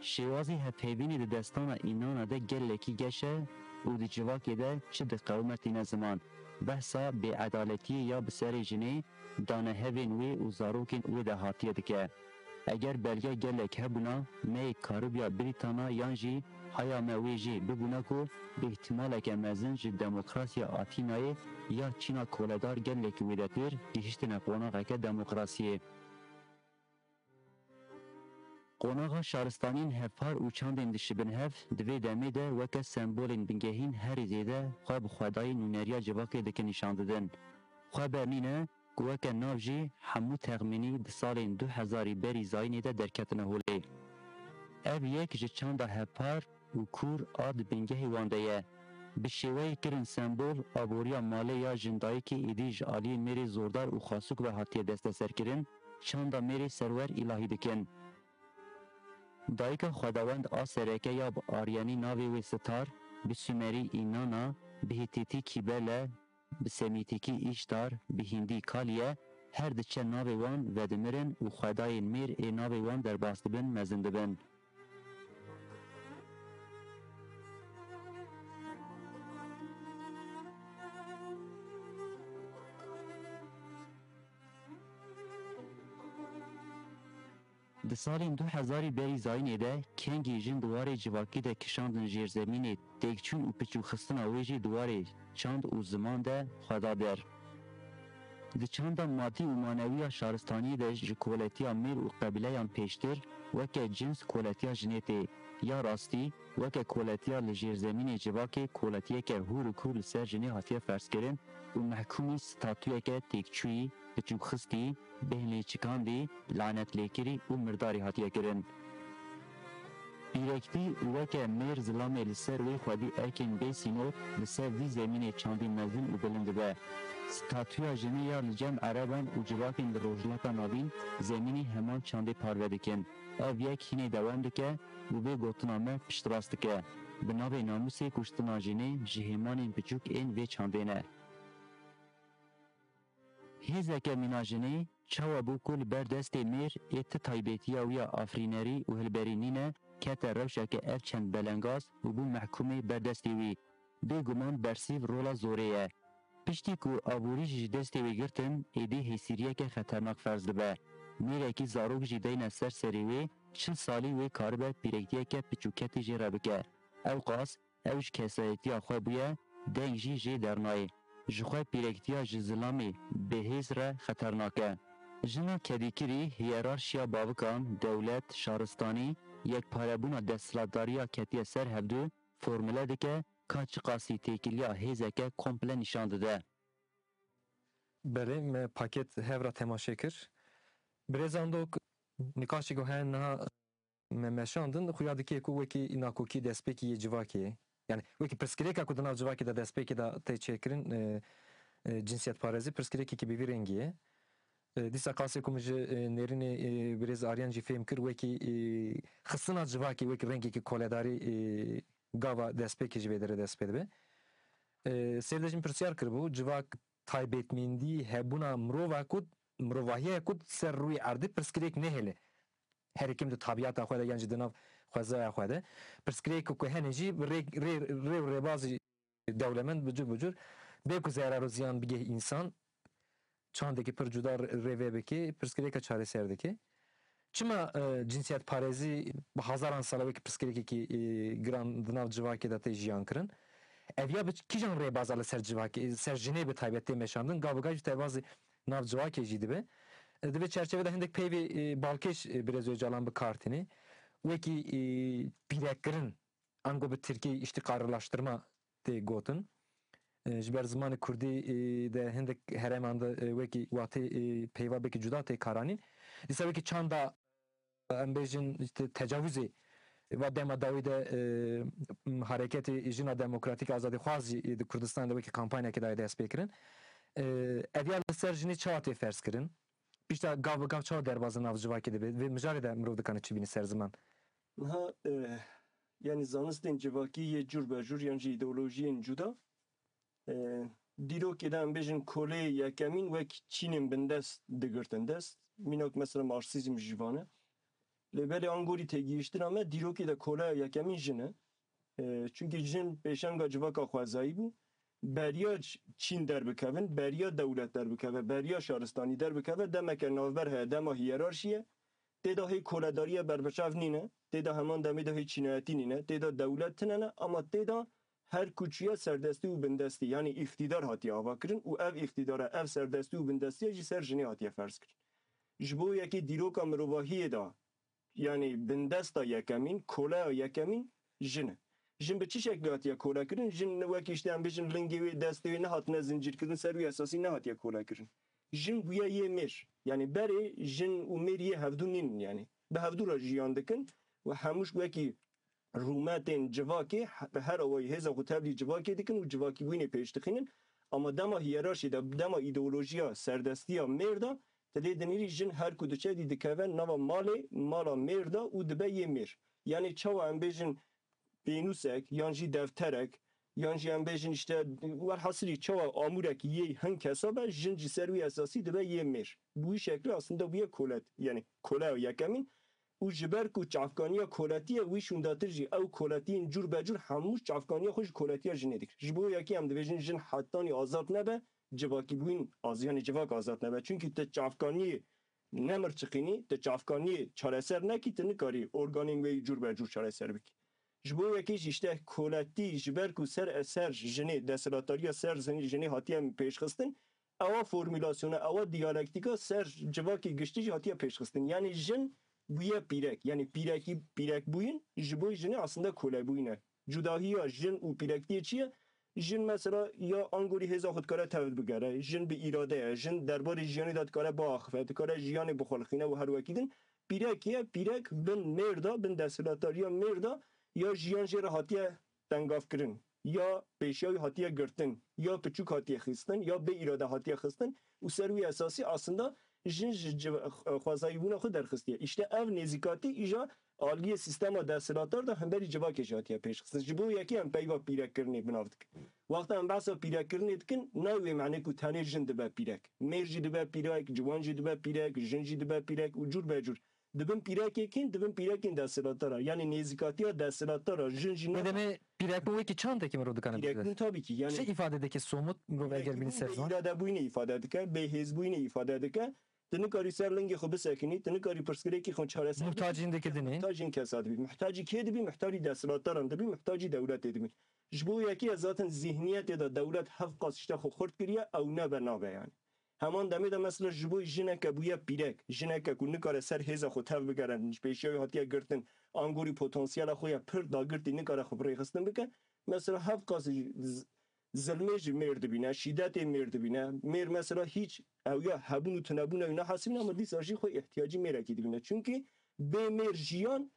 Şêwazî hevpeyvînê di destana Înana de gelekî geş e û di civakê de çi diqewime tîne ziman. Behsa bêedaletiyê ya bi serê jinê, danehevên wê û zarokên wê de hatiye dike. Eger belge gelek hebûna, me yê karibiya Brîtana yan jî haya me wê jê bibûna ku bi îhtimaleke mezin ji demokrasiya Atînayê ya Çîna koledar gelekî wêdetir gihiştine qonaxeke demokrasiyê. Qonaxa şaristaniyên hevpar û çandên dişibin hev di vê demê de weke sembolên bingehîn herî zêde xwe bi xwedayî nûneriya civakê dike nîşan didin. Xwe ber nîne ku weke nav jî hemû texmînî di salên du hezarî berî zayînê de derketine holê. Ev yek ji çanda hevpar û kûr a di bingehê wan de ye. Bi şêweyê kirin sembol, aboriya malê ya jindayikê êdî ji aliyê mêrê zordar û xasûk ve hatiye desteserkirin, çanda mêrê serwer îlahî dikin. Dayika xwedawend a sereke ya bi aryenî navê wê Sitar, bi sumerî Înana, bi hîtîtî Kîbele, bi semîtîkî Îştar, bi hîndî Kaliye, her diçe navê wan vedimirin û xwedayên mêr ê navê wan derbas dibin, mezin dibin. Di salên du hezarî berî zayînê de kengî jin di warê civakî de kişandin jêrzemînê, têkçûn û piçûxistina wê jî di warê çand û ziman de xwe da der. Di çanda madî û manewî ya şaristaniyê de ji koletiya mêr û qebîleyan pêştir weke cins koletiya jinê tê. Ya rastî, weke koletiya li jêrzemînê civakê koletiyeke hûr û kûr li ser jinê hatiye ferzkirin û mehkûmî statuyeke têkçûyî, piçûxistî, bêhnlêçikandî, lanetlêkirî û mirdarî hatiye kirin. Pîrektî weke mêr zilamê li ser wê xwedî erkên bê sînor li ser vî zemînê çandî mezin û bilind dibe. Statûya jinê ya li cem ereban û civakên li Rojhilata Navîn zemînî heman çandê parve dikin. Ev yek hînê dewam dike û vê gotina me piştrast dike. Bi navê namûsê kuştina jinê ji hêmanên piçûk ên vê çandê ne. Hêzeke mîna jinê çawa bû ku li ber destê mêr ê ti taybetiya wî ya afirînerî û hilberî nîne, kete rewşeke ev çend belengaz û bû mehkûmê ber destê wî. Bêguman bersîv rola zorê ye. Piştî ku aborî jî ji destê wê girtin, êdî hêsîriyeke xeternak ferz dibe. Mêrekî zarok jî deyne ser serê wê, çil salî wê karibe pîrektiyeke piçûketî jê re bike. Ewqas ew ji kesayetiya xwe bûye, deng jî jê dernayê. Ji xwe pîrektiya ji zilamê bêhêz re xeternak e. Jina kedîkirî hiyerarşiya bavikan, dewlet, şaristanî, yekparebûna desthilatdariya ketiye ser hevdu, formule dike ka çiqasî têkiliya hêzeke komple nîşan dide. Belê, me paket hev re temaşe kir. Birêz Andok, nîqaşê ku hene niha me meşandin, xuya dike ku wekî nakokî destpêkî yê civakê ye. Yani wekî pirsgirêka ku di nav civakê de destpêkê de tê çêkirin, e, e, cinsiyetparêzî pirsgirêkekî bi vî rengî ye. E, dîsa qasê ku min ji, e, nêrînê, e, birêz Aryan jî fêm kir, wekî, e, xistina civakê wekî rengekî koledarî, e, gava destpêkê ji vê derê dest pê dibe. E, sêr de jî min pirsyar kiribû, civak taybetmendî hebûna mirova ku, mirovahiyê ku ser rûyê erdê pirsgirêk nehêle. Herî kêm di tabiyata xwe de yan jî di nav xwezaya xwe de. Pirsgirêk ku hene jî bi rê, rê, rê û rêbazî dewlemend bi cur bi cur bê ku zerar û ziyan bigeh însan, çandekî pir cuda rê-, rêve bike, pirsgirêka çareser dike. Çima, e, cinsiyetparêzî bi hezaran sala wekî pirsgirêkekî, e, giran di nav civakê de tê jiyan kirin? Ev ya bi kîjan rêbaza li ser civakê, ser jinê bi taybet tê meşandin, gav bi gav jî derbazî nav civakê jî dibe. E, di vê çerçevê de hindek peyvê, e, balkêş, e, birêz Ocalan bi kar tîne. Wekî, e, pîrekkirin, ango bi tirkî îştîqarlaştirma tê gotin. E, ji ber zimanê kurdî, e, de hindek herêman de, e, wekî watê, e, peyva belkî cuda tê karanîn. Dîsa wekî çanda, e, em bêjin, işte, tecavuzê va dema dawî de, e, m, hareketê jina demokratîk azadîxwaz jî, e, di Kurdistanê de wekî kampanyakê daye dest pê kirin. E, ev ya li ser jinê çawa tê ferz kirin? Pişta gav bi gav çawa derbazin nav civakê dibe? Vê mijarê de mirov dikane çi bîne ser ziman? Niha, e, yanî zanistên civakî yê cûr be cûr yan jî îdeolojiyên cuda, e, dîrokê de em bêjin kolê yekemîn wek çînên bindest digirtin dest. Mînak mesela marksîzm jî vane. Lê belê angorî têgihiştina me dîrokê de koleya yekemîn jin e. E, çunkî jin pêşenga civaka xwezayî bû. Beriya ç-, çîn derbikevin, beriya dewlet derbikeve, beriya şaristanî derbikeve, demeke navber heye, dema hiyerarşî ye. Tê de hê koledariya berbiçav nîne, tê de heman demê de hê çînayetî nîne, tê de dewlet tine ne, ama tê de her ku çûye serdestî û bindestî, yanî îqtîdar hatiye avakirin û ev îqtîdara, ev serdestî û bindestiya jî ser jinê hatiye ferz kirin. Ji bo yekê dîroka mirovahiyê de, yanî bindesta yekemîn, koleya yekemîn jin e. Jin bi çi şeklî hatiye kolekirin? Jin wekî işte em bêjin lingê wê, destê wê nehatine zincîrkirin, ser wî esasî nehatiye kolekirin. Jin bûye yê mêr. Yanî berê jin û mêr yê hevdû nînin yanî. Bi hevdû re jiyan dikin û hemû wekî rûmetên civakê he-, bi her awayî hêza xwe tevlî civakê dikin û civakîbûyînê pêş dixînin. Ama dema hiyerarşî de, dema îdeolojiya serdestiya mêr de, tu lê dinêrî jin her ku diçe dî dikeve nava malê, mala mêr de û dibe yê mêr. Yanî çawa em bêjin pênûsek yan jî defterek yan jî em bêjin işte werhasilî çawa amûrek yê hin kesa be, jin ji ser wî esasî dibe yê mêr. Bi wî şeklî aslında bûye kolet, yanî koleya yekemîn. Û ji ber ku çavkaniya koletî ye, wî şûndatir jî ew koletiyên cûr be cûr hemû çavkaniya xwe ji koletiya jinê dikir. Ji bo yekê em dibêjin jin hetanî azad nebe, civakîbûyîn az-, yanî civak azad nebe. Çunkî tu çavkaniyê nemirçiqînî, tu çavkaniyê çareser nekî, tu nikarî organên wê yî cûr be cûr çareser bikî. Ji bo yekê jî işte koletî ji ber ku ser eser jinê, desthilatdariya ser jinê, jinê hatiye pêşxistin, ewa formulasyona, ewa diyalektîka ser civakê giştî jî hatiye pêşxistin. Yanî jin bûye pîrek. Yanî pîrekî, pîrekbûyîn ji bo jinê aslında kolebûyîn e. Cudahiya jin û pîrektiyê çi ye? Jin mesela ya angorî hêza xwe dikare tevd bigere, jin bi îrade ye, jin derbarê jiyanê de dikare biaxife, dikare jiyanê bixwelixîne û her wekî din. Pîrek ye, pîrek bin mêr de, bin desthilatdariya mêr de ya jiyan jê re hatiye tengavkirin, ya pêşiya wî hatiye girtin, ya piçûk hatiye xistin, ya bê îrade hatiye xistin û ser wî esasî aslında jin ji civ-, xwezayîbûna xwe derxistiye. Îşte ev nêzîkatî îja aliyê sîstema desthilatdar de hemberî civakê jî hatiye pêşxistin. Ji bo yekê em peyva pîrekkirinê bi nav dikin. Wexta em behsa pîrekkirinê dikin, nayê wê manê ku tenê jin dibe pîrek. Mêr jî dibe pîrek, ciwan jî dibe pîrek, jin jî dibe pîrek û cûr be cûr. Dibin pîrekê kîn, dibin pîrekên desthilatdar a. Yanî nêzîkatiya desthilatdar a, jin jî ne Nedeni pîrekbûn wekî çandekî mirov dikane Pîrekbûn bigire. Tabii ki, yanî Çi îfade dike somut mirov eger bînî ser ziman? Pîrekbûn bê îradebûyînê îfade dike, bê hêzbûyînê îfade dike. Tu nikarî ser lingê xwe bisekinî, tu nikarî pirsgirêkî xwe çareser bikî. Muhtacîn dike dinê. Muhtacîn kesa dibî. Muhtacî kê dibî? Muhtarî desthilatdaran dibî, muhtacî dewletê dibî. Ji bo yekî ez zaten zihniyetê de dewlet hevqas işte xwe xurt kiriye, ew nebe nabe yani. Heman demê de mesela ji bo jineke bûye pîrek, jineke ku nikare ser hêza xwe tev bigere, ji pêşiya wî hatiye girtin, angorî potansiyela xwe ya pir dagirtî nikare xwe bi rêxistin bike. Mesela hevqas z-, zilmê ji mêr dibîne, şîdetê mêr dibîne. Mêr mesela hîç ew ya hebûn û tunebûna wî nehesibîne, ama dîsa jî xwe îhtiyacî mêrekî dibîne. Çunkî bê mêr jiyan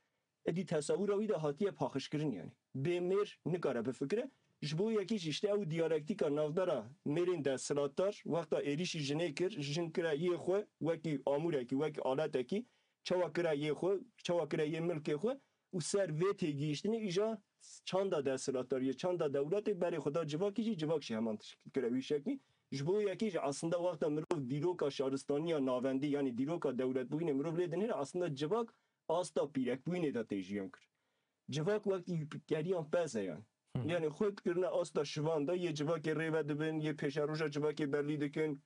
êdî tesawira wî de hatiye paxişkirin yani. Bê mêr nikare bifikire. Ji bo yekî jî işte ew diyalektîka navbera mêrên desthilatdar wexta êrîşî jinê kir, jin kire yê xwe wekî amûrekî, wekî aletekî, çawa kire yê xwe, çawa kire yê milkê xwe û ser vê têgihiştinê îja çanda desthilatdariyê, çanda dewletê berê xwe da civakî jî, civak jî heman tişkil kire wî şeklî. Ji bo yekî jî aslında wexta mirov dîroka şaristaniya navendî, yanî dîroka dewletbûyînê mirov lê dinêre, aslında civak asta pîrekbûyînê de tê jiyan kir. Civak wekî geriyan pez e yani. Hı. Yani xwe kirine asta şivan de, yê civakê rê ve dibin, yê pêşeroja civakê belî dikin,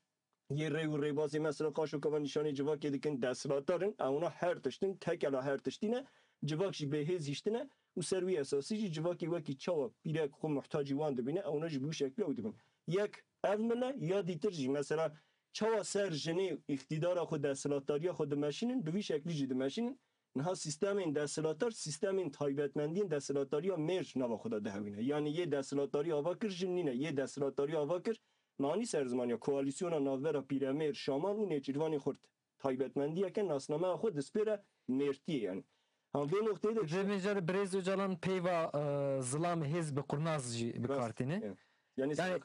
yê rê û rêbazê mesela qaşo kava nîşanê civakê dikin, desthilatdar in, ewna her tiştin, tekela her tiştî ne, civak jî bêhêz hiştine û ser wî esasî jî civakê wekî çawa pîrek xwe muhtacî wan dibîne, ewna jî bi wî şeklî ew dibin. Yek ev mile, ya dîtir jî mesela çawa ser jinê îqtîdara xwe, desthilatdariya xwe dimeşînin, bi vî şeklî jî dimeşînin. Niha sîstemên desthilatdar, sîstemên taybetmendiyên desthilatdariya mêr nava xwe de dihewîne. Yanî yê desthilatdarî ava kir jin nîne, yê desthilatdarî ava kir, manî ser ziman ya koalîsyona navbera pîremêr, şaman û nêçîrvanê xurt. Taybetmendiyeke nasnameya xwe dispêre mêrtiyê yani. Ha, vê noqteyê de Vê mêjarê Birêz Ocalan peyva, e, zilam hêz bi qurnaz jî bi Rast, kar tîne. Yani, yani Yani,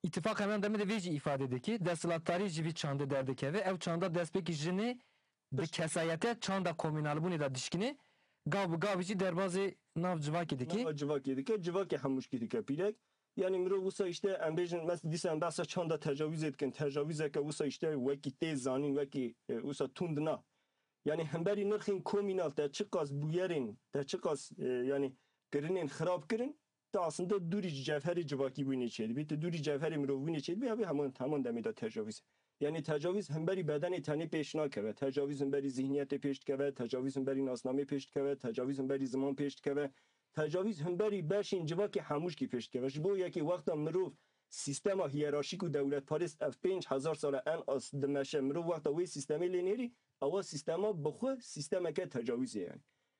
Îtifaq heman demê de vê jî îfade dike. Desthilatdarî ji vî çandê derdikeve. Ew çanda destpêkî jinê bi kesayete çanda komînalbûnê de dişkine. Gav bi gav jî derbazê nav civakê dike. Nava civakê dike, civakê hemûşkî dike pîrek. Yani mirov wisa işte em bêjin, mes-, dîsa em behsa çanda tecawîzê dikin. Tecawîzeke wisa işte wekî tê zanîn, wekî, e, wisa tund na. Yani hemberî nirxên komînal te çiqas bûyerên, te çiqas, e, yani kirinên xirab kirin, tu aslında dûrî ji cevherê civakîbûyînê çêdibî, tu dûrî cevherê mirovbûyînê çêdibî, ev ê heman, heman demê de tecawîz e. Yanî tecawîz hemberî bedenê tenê pêş nakeve, tecawîz hemberî zihniyetê pêş dikeve, tecawîz hemberî nasnamê pêş dikeve, tecawîz hemberî ziman pêş dikeve, tecawîz hemberî beşên civakê hemûşkî pêş dikeve. Ji bo yekê wexta mirov sîstema hiyerarşîk û dewletparêz ev pênc hezar sal e en az dimeşe, mirov wexta wê sîstemê lê nêrî, ewa sîstema bi xwe sîstemeke tecawîzê ye.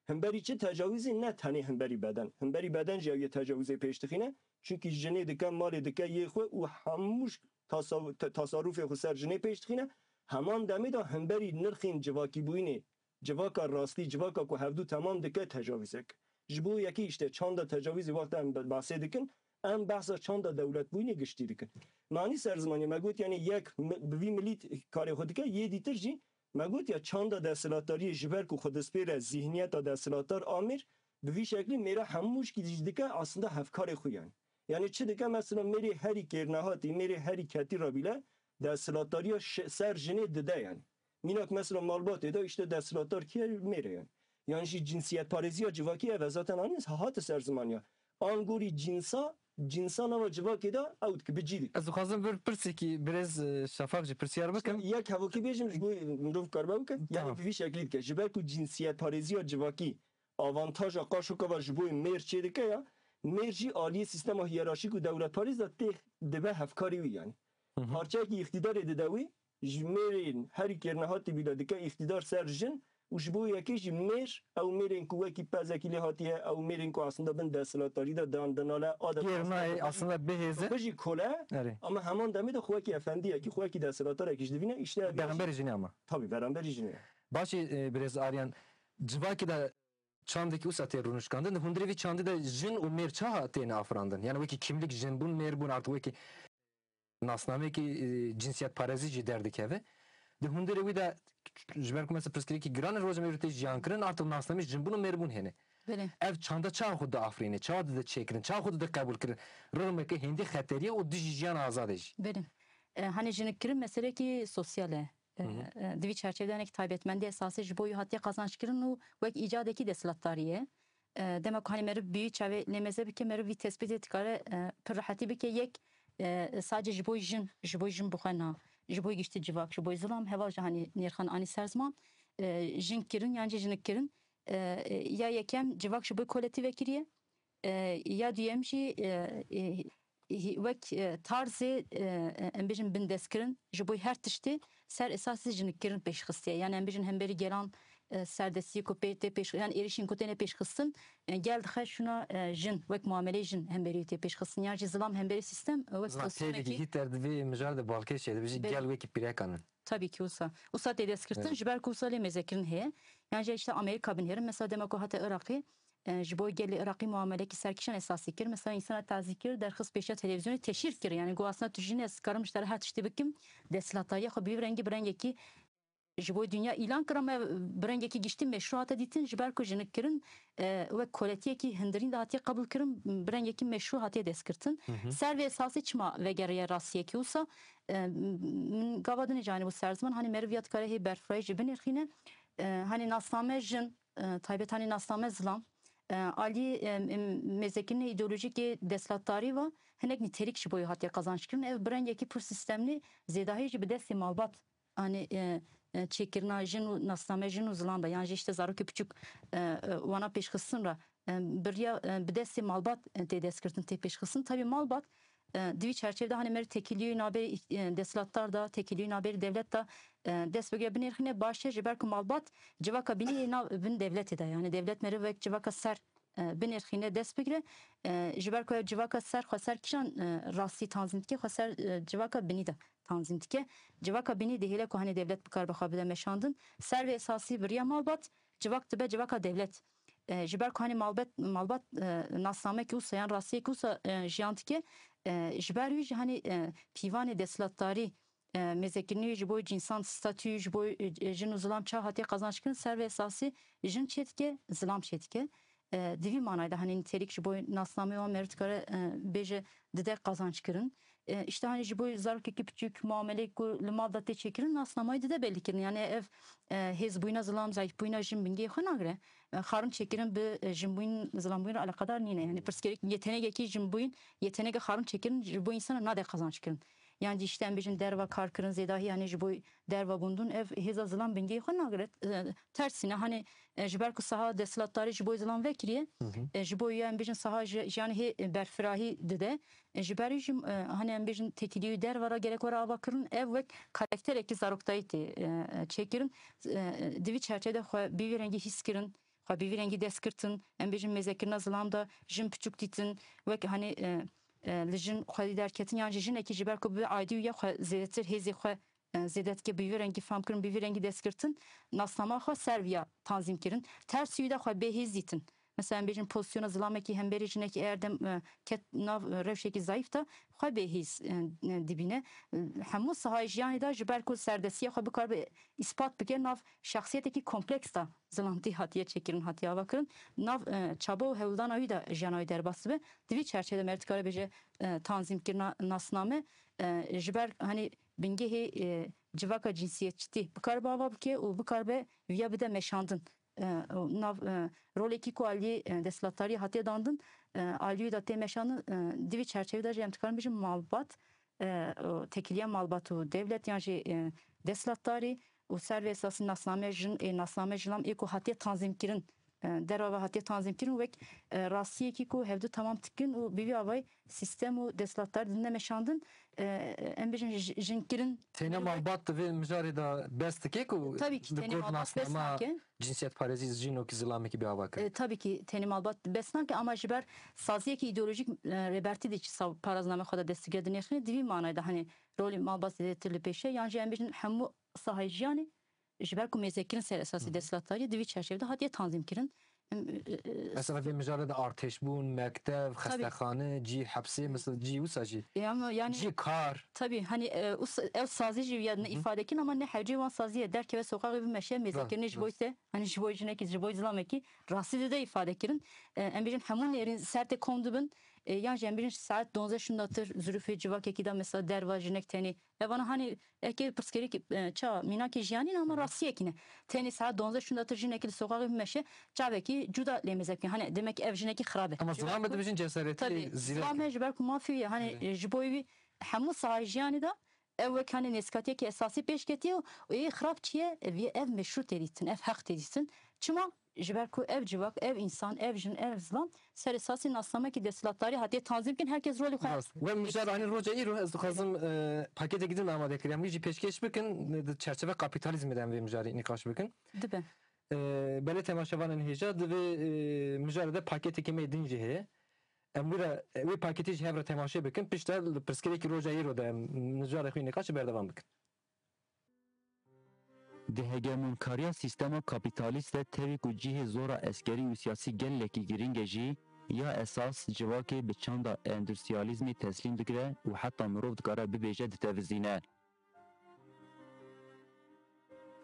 Hemberî çi tecawîzê? Ne tenê hemberî beden. Hemberî beden jî ew yê tecawîzê pêş dixîne. Çunkî jinê dike, malê dike yê xwe û hemû tasaw-, te-, tasarrufê xwe ser jinê pêş dixîne. Heman demê de hemberî nirxên civakîbûyînê, civaka rastî, civaka ku hevdû temam dike, tecawîzek. Ji bo yekê işte çanda tecawîzê wexta em be-, behsê dikin, em behsa çanda dewletbûyînê giştî dikin. Manî ser zimanê me got, yani yek mi-, bi vî milî t-, karê xwe dike, yê dîtir jî me got ya çanda desthilatdariyê ji ber ku xwe dispêre zihniyeta desthilatdar a mêr, bi vî şeklî mêra hemû şkî jî dike aslında hevkarê xwe yani. Yani çi dike mesela mêrê herî kêrnehatî, mêrê herî ketî re bîle desthilatdariya şe-, ser jinê dide yani. Mînak mesela malbatê de işte desthilatdar kî ye? Mêr e yani. Yan jî cinsiyetparêziya civakî ev e zaten anîn hate ser ziman ya. Angorî cinsa, cinsa nava civakê de ew dike, bi cî dike. Ez dixwazim vir pirsekî birêz, e, Şafak jî pirsiyar bikim. Yek hevokî bêjim ji bo mirov karibe bike. Yani Tamam. Bi vî şeklî dike. Ji ber ku cinsiyetparêziya civakî avantaja qaşokava ji bo mêr çêdike ya, mêr jî aliyê sîstema hiyerarşîk û dewletparêz de tê dibe hevkarê wî yani. Hı hı. Parçeyekî îqtîdarê dide wî, ji mêrên herî kêrnehatî bîle dike îqtîdar ser jin, û ji bo yekê jî mêr, ew mêrên ku wekî pezekî lê hatiye, ew mêrên ku aslında bin desthilatdarî de dan dinale, adeta Gêr nayê, aslında bihêze. Bijî kole, Erê. Ama heman demê de xwe wekî efendiyekî, xwe wekî desthilatdarekî ji divîne, îşte ev Beramberî jinê ama. Tabii, beramberî jinê. Başî, e, birêz Aryan, civakî de çandekî wisa tê rûnişkandin. Di hundirê vî çandî de jin û mêr çawa têne afirandin? Yani wekî kimlik jinbûn, mêrbûn, artık wekî nasnameyekî, e, cinsiyetparêzî jî derdikeve. Di hundirê wî de, ji ber ku mesela pirsgirêkî giran e, roja me tê jiyan kirin, artık nasnameyê jinbûn û mêrbûn hene. Belê. Ev çanda çawa xwe diafirîne, çawa dide çêkirin, çawa xwe dide qebûl kirin? Rixmeke hêndî xeterî ye û dijî jiyana azadê jî. Belê. E, hani jinikkirin meselekî sosyal e. E, Hı hı. e, di vî çerçevede hinek taybetmendî esasî ji bo wî hatiye qazançkirin û wek îcadekî desthilatdarî ye. E, dema ku hani meriv bi wî çavê lêmeze bike, meriv vî tespîtê dikare, e, pir rehetî bike. Yek, e, sadece ji bo jin, ji bo jin bi xwe na, ji bo giştî civak, ji bo zilam, heval jî hani nêrxan anî ser ziman. E, jin kirin yan jî jinik kirin. E, e, ya yekem civak ji bo koletî vekiriye. E, ya duyem jî, e, e, hî-, wek, e, tarzê, e, e, em bêjin bindestkirin ji bo her tiştê ser esasê jinikkirin pêşxistiye. Yani em bêjin hemberî gelan, e, serdestiyê ku pê tê pêş, yani êrişên ku têne pêşxistin, e, gel dixe şûna, e, jin, wek muameleyê jin hemberî tê pêşxistin. Yan jî zilam hemberî sîstem, e, wek Zilam têlî sistemekî hî ter divê mijar de balkêş çê, dibêjî Belê. Gel wekî pîrekan in. Tabii ki wisa. Wisa tê destgirtin, Evet. ji ber ku wisa lê mêzekirin heye. Yan jî işte Amerîka binêrin. Mesela dema ku hate Iraqê, e, ji bo gelê Iraqî muamelekî serkişan esasî kir. Mesela însana tazî kir, derxist pêşiya televîzyonê teşhîr kir. Yani got aslında tu jin, ez karim ji te re her tiştî bikim. Desthilatdariya xwe bi vî rengî bi rengekî ji bo dinya îlan kir, ama bi rengekî giştî meşrû hate dîtin, ji ber ku jinik kirin, e, wek koletiyekî hundirîn de hatiye qebûl kirin, bi rengekî meşrû hatiye destgirtin. Hı hı. Ser vê esasî çima vegeriye rastiyekî wisa? E, min gava din jî anîbû ser ziman, hani meriv ya dikare hê berfirayî jî binirxîne. E, hani nasname jin, e, taybet hani nasname zilam, e, alî, e, em, mêzekirinê îdeolojîkê desthilatdarî ve hinek nîtelik ji bo wî hatiye qazançkirin. Ev bi rengekî pir sîstemlî zêdahî jî bi destê malbat, hani, e, e, çêkirina jin û nasname jin û zilam de, yan jî işte zarokê piçûk, e, e, wana pêşxistin re, e, bi riya, e, bi destê malbat, e, tê destgirtin, tê pêşxistin. Tabii malbat, e, di vî çerçevede hani meriv têkiliyê navbêrî, e, desthilatdar de, têkiliyê navbêrî dewlet de, e, dest bigire binêrxîne, baş e, ji ber ku malbat civaka binî yê nav bin dewletê de. Yani dewlet meriv wek civaka ser, e, binêrxîne, dest bigire. E, ji ber ku ev civaka ser, xweser kîjan, e, rastî tanzîm dike, xweser, e, civaka binî de tanzîm dike. Civaka binî dihêle ku hani dewlet bikaribe xwe bide meşandin. Ser vê esasî bi riya malbat, civak dibe civaka dewlet. E, ji ber ku hani malbet, malbat, e, nasnamekî wisa yan rastiyekî wisa, e, jiyan dike, e, ji ber wî jî hani, e, pîvanê desthilatdarî, e, mêzekirinê wî ji bo cînsan statû, ji bo, e, jin û zilam çawa hatiye qazançkirin, ser vê esasî jin çêdike, zilam çêdike. E, di vî manayê de hani nîtelik ji bo nasnameyê wan meriv dikare, e, bêje dide qazançkirin. E, işte hani ji bo zarokekî piçûk muameleyê ku li mal de tê çêkirin, nasnamayê dide belî kirin. Yani ev, e, hêzbûyîna zilam, zayîfbûyîna jin bingehê xwe nagire. E, xarin çêkirin bi, e, jinbûyîn, zilambûyîn re eleqedar nîne. Yani pirsgirêk, yetenegekî jinbûyîn, yetenege xarin çêkirin ji bo însana nade qazançkirin. Yan jî işte em bêjin derva karkirin, zêdahî yani ji bo derva gundûn ev hêza zilam bingehê xwe nagire. E, tersîne hani, e, ji ber ku saha desthilatdarî ji bo zilam vekiriye, Hı hı. e, ji bo ya em bêjin saha ji, jiyanê hê, e, berfirahî dide. E, ji ber wî jî, e, hani em bêjin têkiliyê derva re gerek were avakirin, ev wek karakterekî zaroktayî tê, e, e, çêkirin. E, di vî çerçevede xwe bi vî rengî hîs kirin, xwe bi vî rengî dest girtin, em bêjin mêzekirina zilam de jin piçûk dîtin, wek hani, e, e, li jin xwedî derketin, yan jî jinekî ji ber ku bi aîdî wî ya xwe zêdetir hêzê xwe, e, zêde dike, bi vî rengî fam kirin, bi vî rengî dest girtin, nasnama xwe ser viya tanzîm kirin. Tersî wî de xwe bêhêz dîtin. Mesela em bêjin pozisyona zilamekî hemberî jinekî eger dem, e, ket nav, e, rewşekî zayîf de xwe bêhêz, e, e, dibîne. E, hemû sahayê jiyanê de ji ber ku serdestiya xwe bikaribe îspat bike, nav şexsiyetekî kompleks de zilamtî hatiye çêkirin, hatiye avakirin. Nav, e, çaba û hewldana wî de jiyana wî derbas dibe. Di vî çerçevede meriv dikare bêje, e, tanzîmkirina nasname, e, ji ber, hani, bingehê, e, civaka cinsiyetçîtî bikaribe ava bike û bikaribe viya bide meşandin. E, û nav, e, rolekî ku aliyê, e, desthilatdariyê hatiye dandin, e, aliyê de tê meşandin, e, di vî çerçevê de jî em dikarin bêjin malbat, e, û têkiliya malbat û dewlet yan jî, e, desthilatdarî û ser vê esasî nasname jin, ê nasname jilam ê ku hatiye tanzîmkirin, e, derva ve hatiye tanzîmkirin û wek, e, rastiyekî ku hevdu temam dikin û bi vî avayî sîstem û desthilatdar didine meşandin, e, em bêjin ji-, jinkirin. Têne malbat di vê mijarê de bes dike ku Tabii ki, di têne gor malbat bes nasnama nake. Cinsiyetparêzî jinokî zilamekî bi ava kir. E, tabii ki têne malbat bes nake ama ji ber saziyekî îdeolojîk, e, Rêbertî de çi saw parazname xwe de destige dinêxîne, di vî manayê de hani rolê malbat zêdetir li pêşe, yan jî em bêjin hemû sahayê jiyanê ji ber ku mêzekirin ser esasî Hı hı. desthilatdariyê di vî çerçevede hatiye tanzîmkirin. Em, e, e, Mesela vê mijarê de artêşbûn, mektev, Tabii. xestexane, cî hepsê, mesela cî wisa jî. E, ama yani Cî kar. Tabii, hani, e, us-, ew sazî jî ya Hı hı. îfade kirin ama ne hewcê wan saziyê derkeve soqaxê bimeşe, mêzekirinê Rast, ji bo rast. te, hani ji bo jinekî, ji bo zilamekî rastî dide îfade kirin. E, em bêjin hemû nêrîn ser tê kom dibin. E, yan jî em bêjin saet donzdeh şûndatir zirûfê civakekî de mesela derva jinek tenê. Evana hani eke pirsgirêk, e, ça mînakê jiyanî ne ama rastiyekî ne. Tenê saet donzdeh şûndatir jinekî li soqaxê bimeşe, çavekî cuda lê mêze bike. Hani demek ki ev jinekî xirab e. Ama Ji ber zilam ku- dibêjin cesaretî Tabii, zîrek. Zilam e ji ber ku mafî ye. Hani, Evet. e, ji bo wî hemû sahayê jiyanê de ev wek hani nêzikatiyekî esasî pêş ketiye û ê xirab çi ye? Ev ye, ev meşrû tê dîtin, ev heq tê dîtin. Çima? Ji ber ku ev civak, ev însan, ev jin, ev zilam ser esasî nasnamekî desthilatdarî hatiye tanzîm kirin, herkes rolê xwe Rast. We mijar anî roja îro ez dixwazim, e, paketekî din amade kiriye. Em wî jî pêşkêş bikin, di çerçeve kapîtalîzmê de em vê mijarê nîqaş bikin. Dibe. E, belê temaşevanên hêja di vê, e, mijarê de paketekî me din jî heye. Em wî re, wê paketê jî hev re temaşe bikin. Piştre li pirsgirêkî roja îro de em mijarê xwe nîqaşê berdewam bikin. Di hegemonkariya sîstema kapîtalîst de tevî ku cihê zora eskerî û siyasî gelekî girîng e jî, ya esas civakê bi çanda endustriyalîzmê teslîm digire û heta mirov dikare bibêje ditevizîne.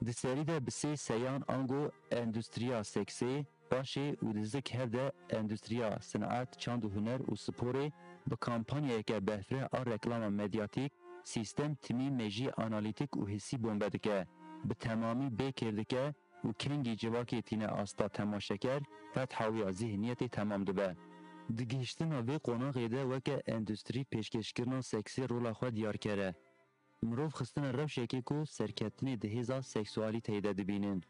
Di serî de bi sê seyan ango endustriya seksê, paşê û di zik hev de endustriya sinet, çand û huner û sporê bi kampanyayeke berfireh a reklama medyatîk, sîstem timî mejî analîtîk û hissî bombe dike, bi temamî bê kêr dike û kengî civakê tîne asta temaşeker, fetha wî ya zîhniyetê temam dibe. Di gihiştina vê qonaxê de weke endustrî pêşkêşkirina seksê rola xwe diyar kere. Mirov xistine rewşekê ku serketinê di hêza seksualîteyê de dibînin.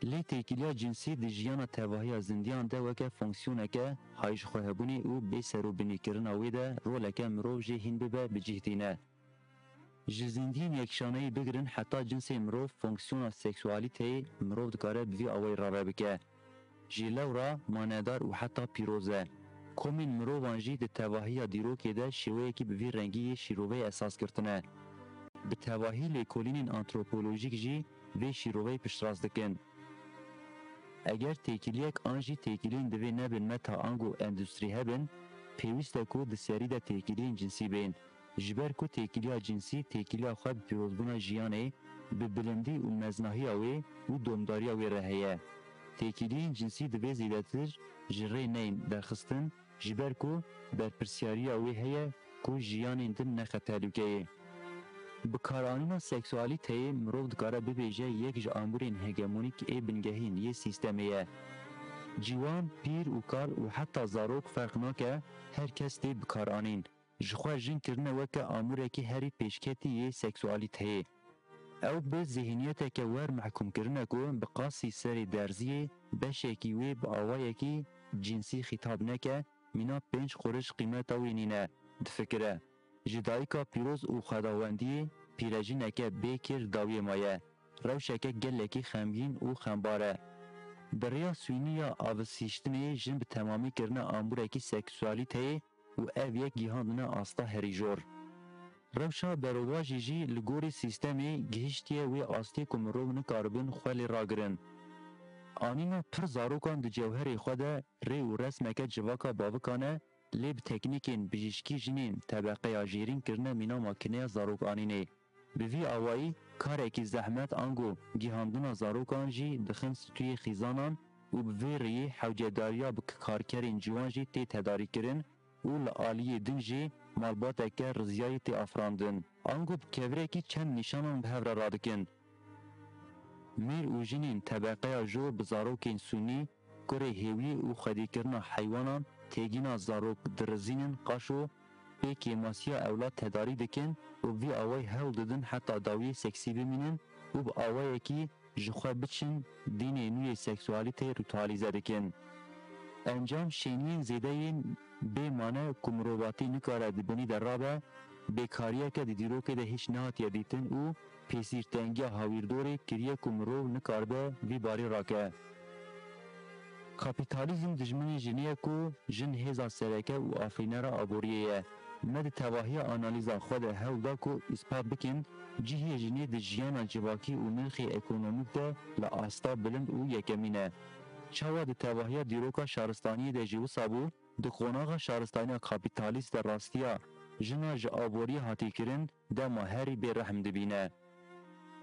Lê têkiliya cinsî di jiyana tevahiya zindiyan de weke fonksiyoneke hayjixwehebûnê û bêserobinîkirina wê de roleke mirov jê hîn bibe bi cih tîne. Ji zindiyên yekşaneyî bigirin heta cinsê mirov fonksiyona seksualîteyê mirov dikare bi vî awayî rave bike. Ji lewra manedar û heta pîroz e. Komên mirovan jî di tevahiya dîrokê de şêweyekî bi vî rengî yê şîroveyê esas girtine. Bi tevahî lêkolînên antropolojîk jî vê şîroveyê piştrast dikin. Eger têkiliyek an jî têkiliyên divê nebin meta ango endustrî hebin, pêwîst e ku di serî de têkiliyên cinsî bên. Ji ber ku têkiliya cinsî têkiliya xwe bi pîrozbûna jiyanê, bi bilindî û meznahiya wê û domdariya wê re heye. Têkiliyên cinsî divê zêdetir ji rê neyên derxistin, ji ber ku berpirsyariya wê heye ku jiyanên din nexe tehlûkeyê. Bikaranîna seksualîteyê mirov dikare bibêje yek ji amûrên hegemonîk ê bingehîn yê sîstemê ye. Ciwan, pîr û kal û heta zarok ferq nake, her kes tê bikaranîn. Ji xwe jin kirine weke amûrekî herî pêşketî yê seksualîteyê. Ew bi zîhniyeteke wer mehkûm kirine ku bi qasî serê derziyê beşekî wê bi awayekî cinsî xîtab neke, mîna pênc qurîş qîmeta wî nîne, difikire. Ji dayika pîroz û xwedawendiyê pîrejineke bê kêr dawiyê maye. Rewşeke gelekî xemgîn û xembar e. Bi rêya sûnî ya avisîştinê jin bi temamî kirine amûrekî seksualîteyê û ev yek gihandine asta herî jor. Rewşa berovajî jî li gorî sîstemê gihiştiye wê astê ku mirov nikaribin xwe lê ragirin. Anîna pir zarokan di cewherê xwe de rê û resmeke civaka bavikan e, lê bi teknîkên bijîşkî jinên tebeqeya jêrîn kirine mîna makineya zarokanînê. Bi vî awayî karekî zehmet ango gihandina zarokan jî dixin stûyê xîzanan û bi vê rêyê hewcedariya bi karkerên ciwan jî tê tedarîkirin û li aliyê din jî malbateke riziyayî tê afirandin. Ango bi kevirekî çend nîşanan bi hev re radikin. Mêr û jinên tebeqeya jor bi zarokên sûnî, kurê hêwiyê û xwedîkirina heywanan têgîna zarok dirizînin qaşo pê kêmasiya ewlad tedarî dikin û bi vî awayî hewl didin heta dawiyê seksî bimînin û bi awayekî ji xwe biçin dînê nû yê seksualîteyê ritualîze dikin. Encam şêniyên zêde yên bê mane ku mirovatî nikare di binî de rabe, bêkariyeke di dîrokê de hîç nehatiye dîtin û pêsîrtengiya hawîrdorê kiriye ku mirov nikaribe vî barî rake. Kapîtalîzm dijminê jinê ye ku jin hêza sereke û afirînera aboriyê ye. Me di tevahiya analîza xwe de hewl da ku îspat bikin cihê jinê di jiyana civakî û nirxê ekonomîk de li asta bilind û yekemîn e. Çawa di tevahiya dîroka şaristaniyê de jî wisa bû, di qonaxa şaristaniya kapîtalîst de rastiya jina ji aboriyê hatî kirin dema herî bêrehm dibîne.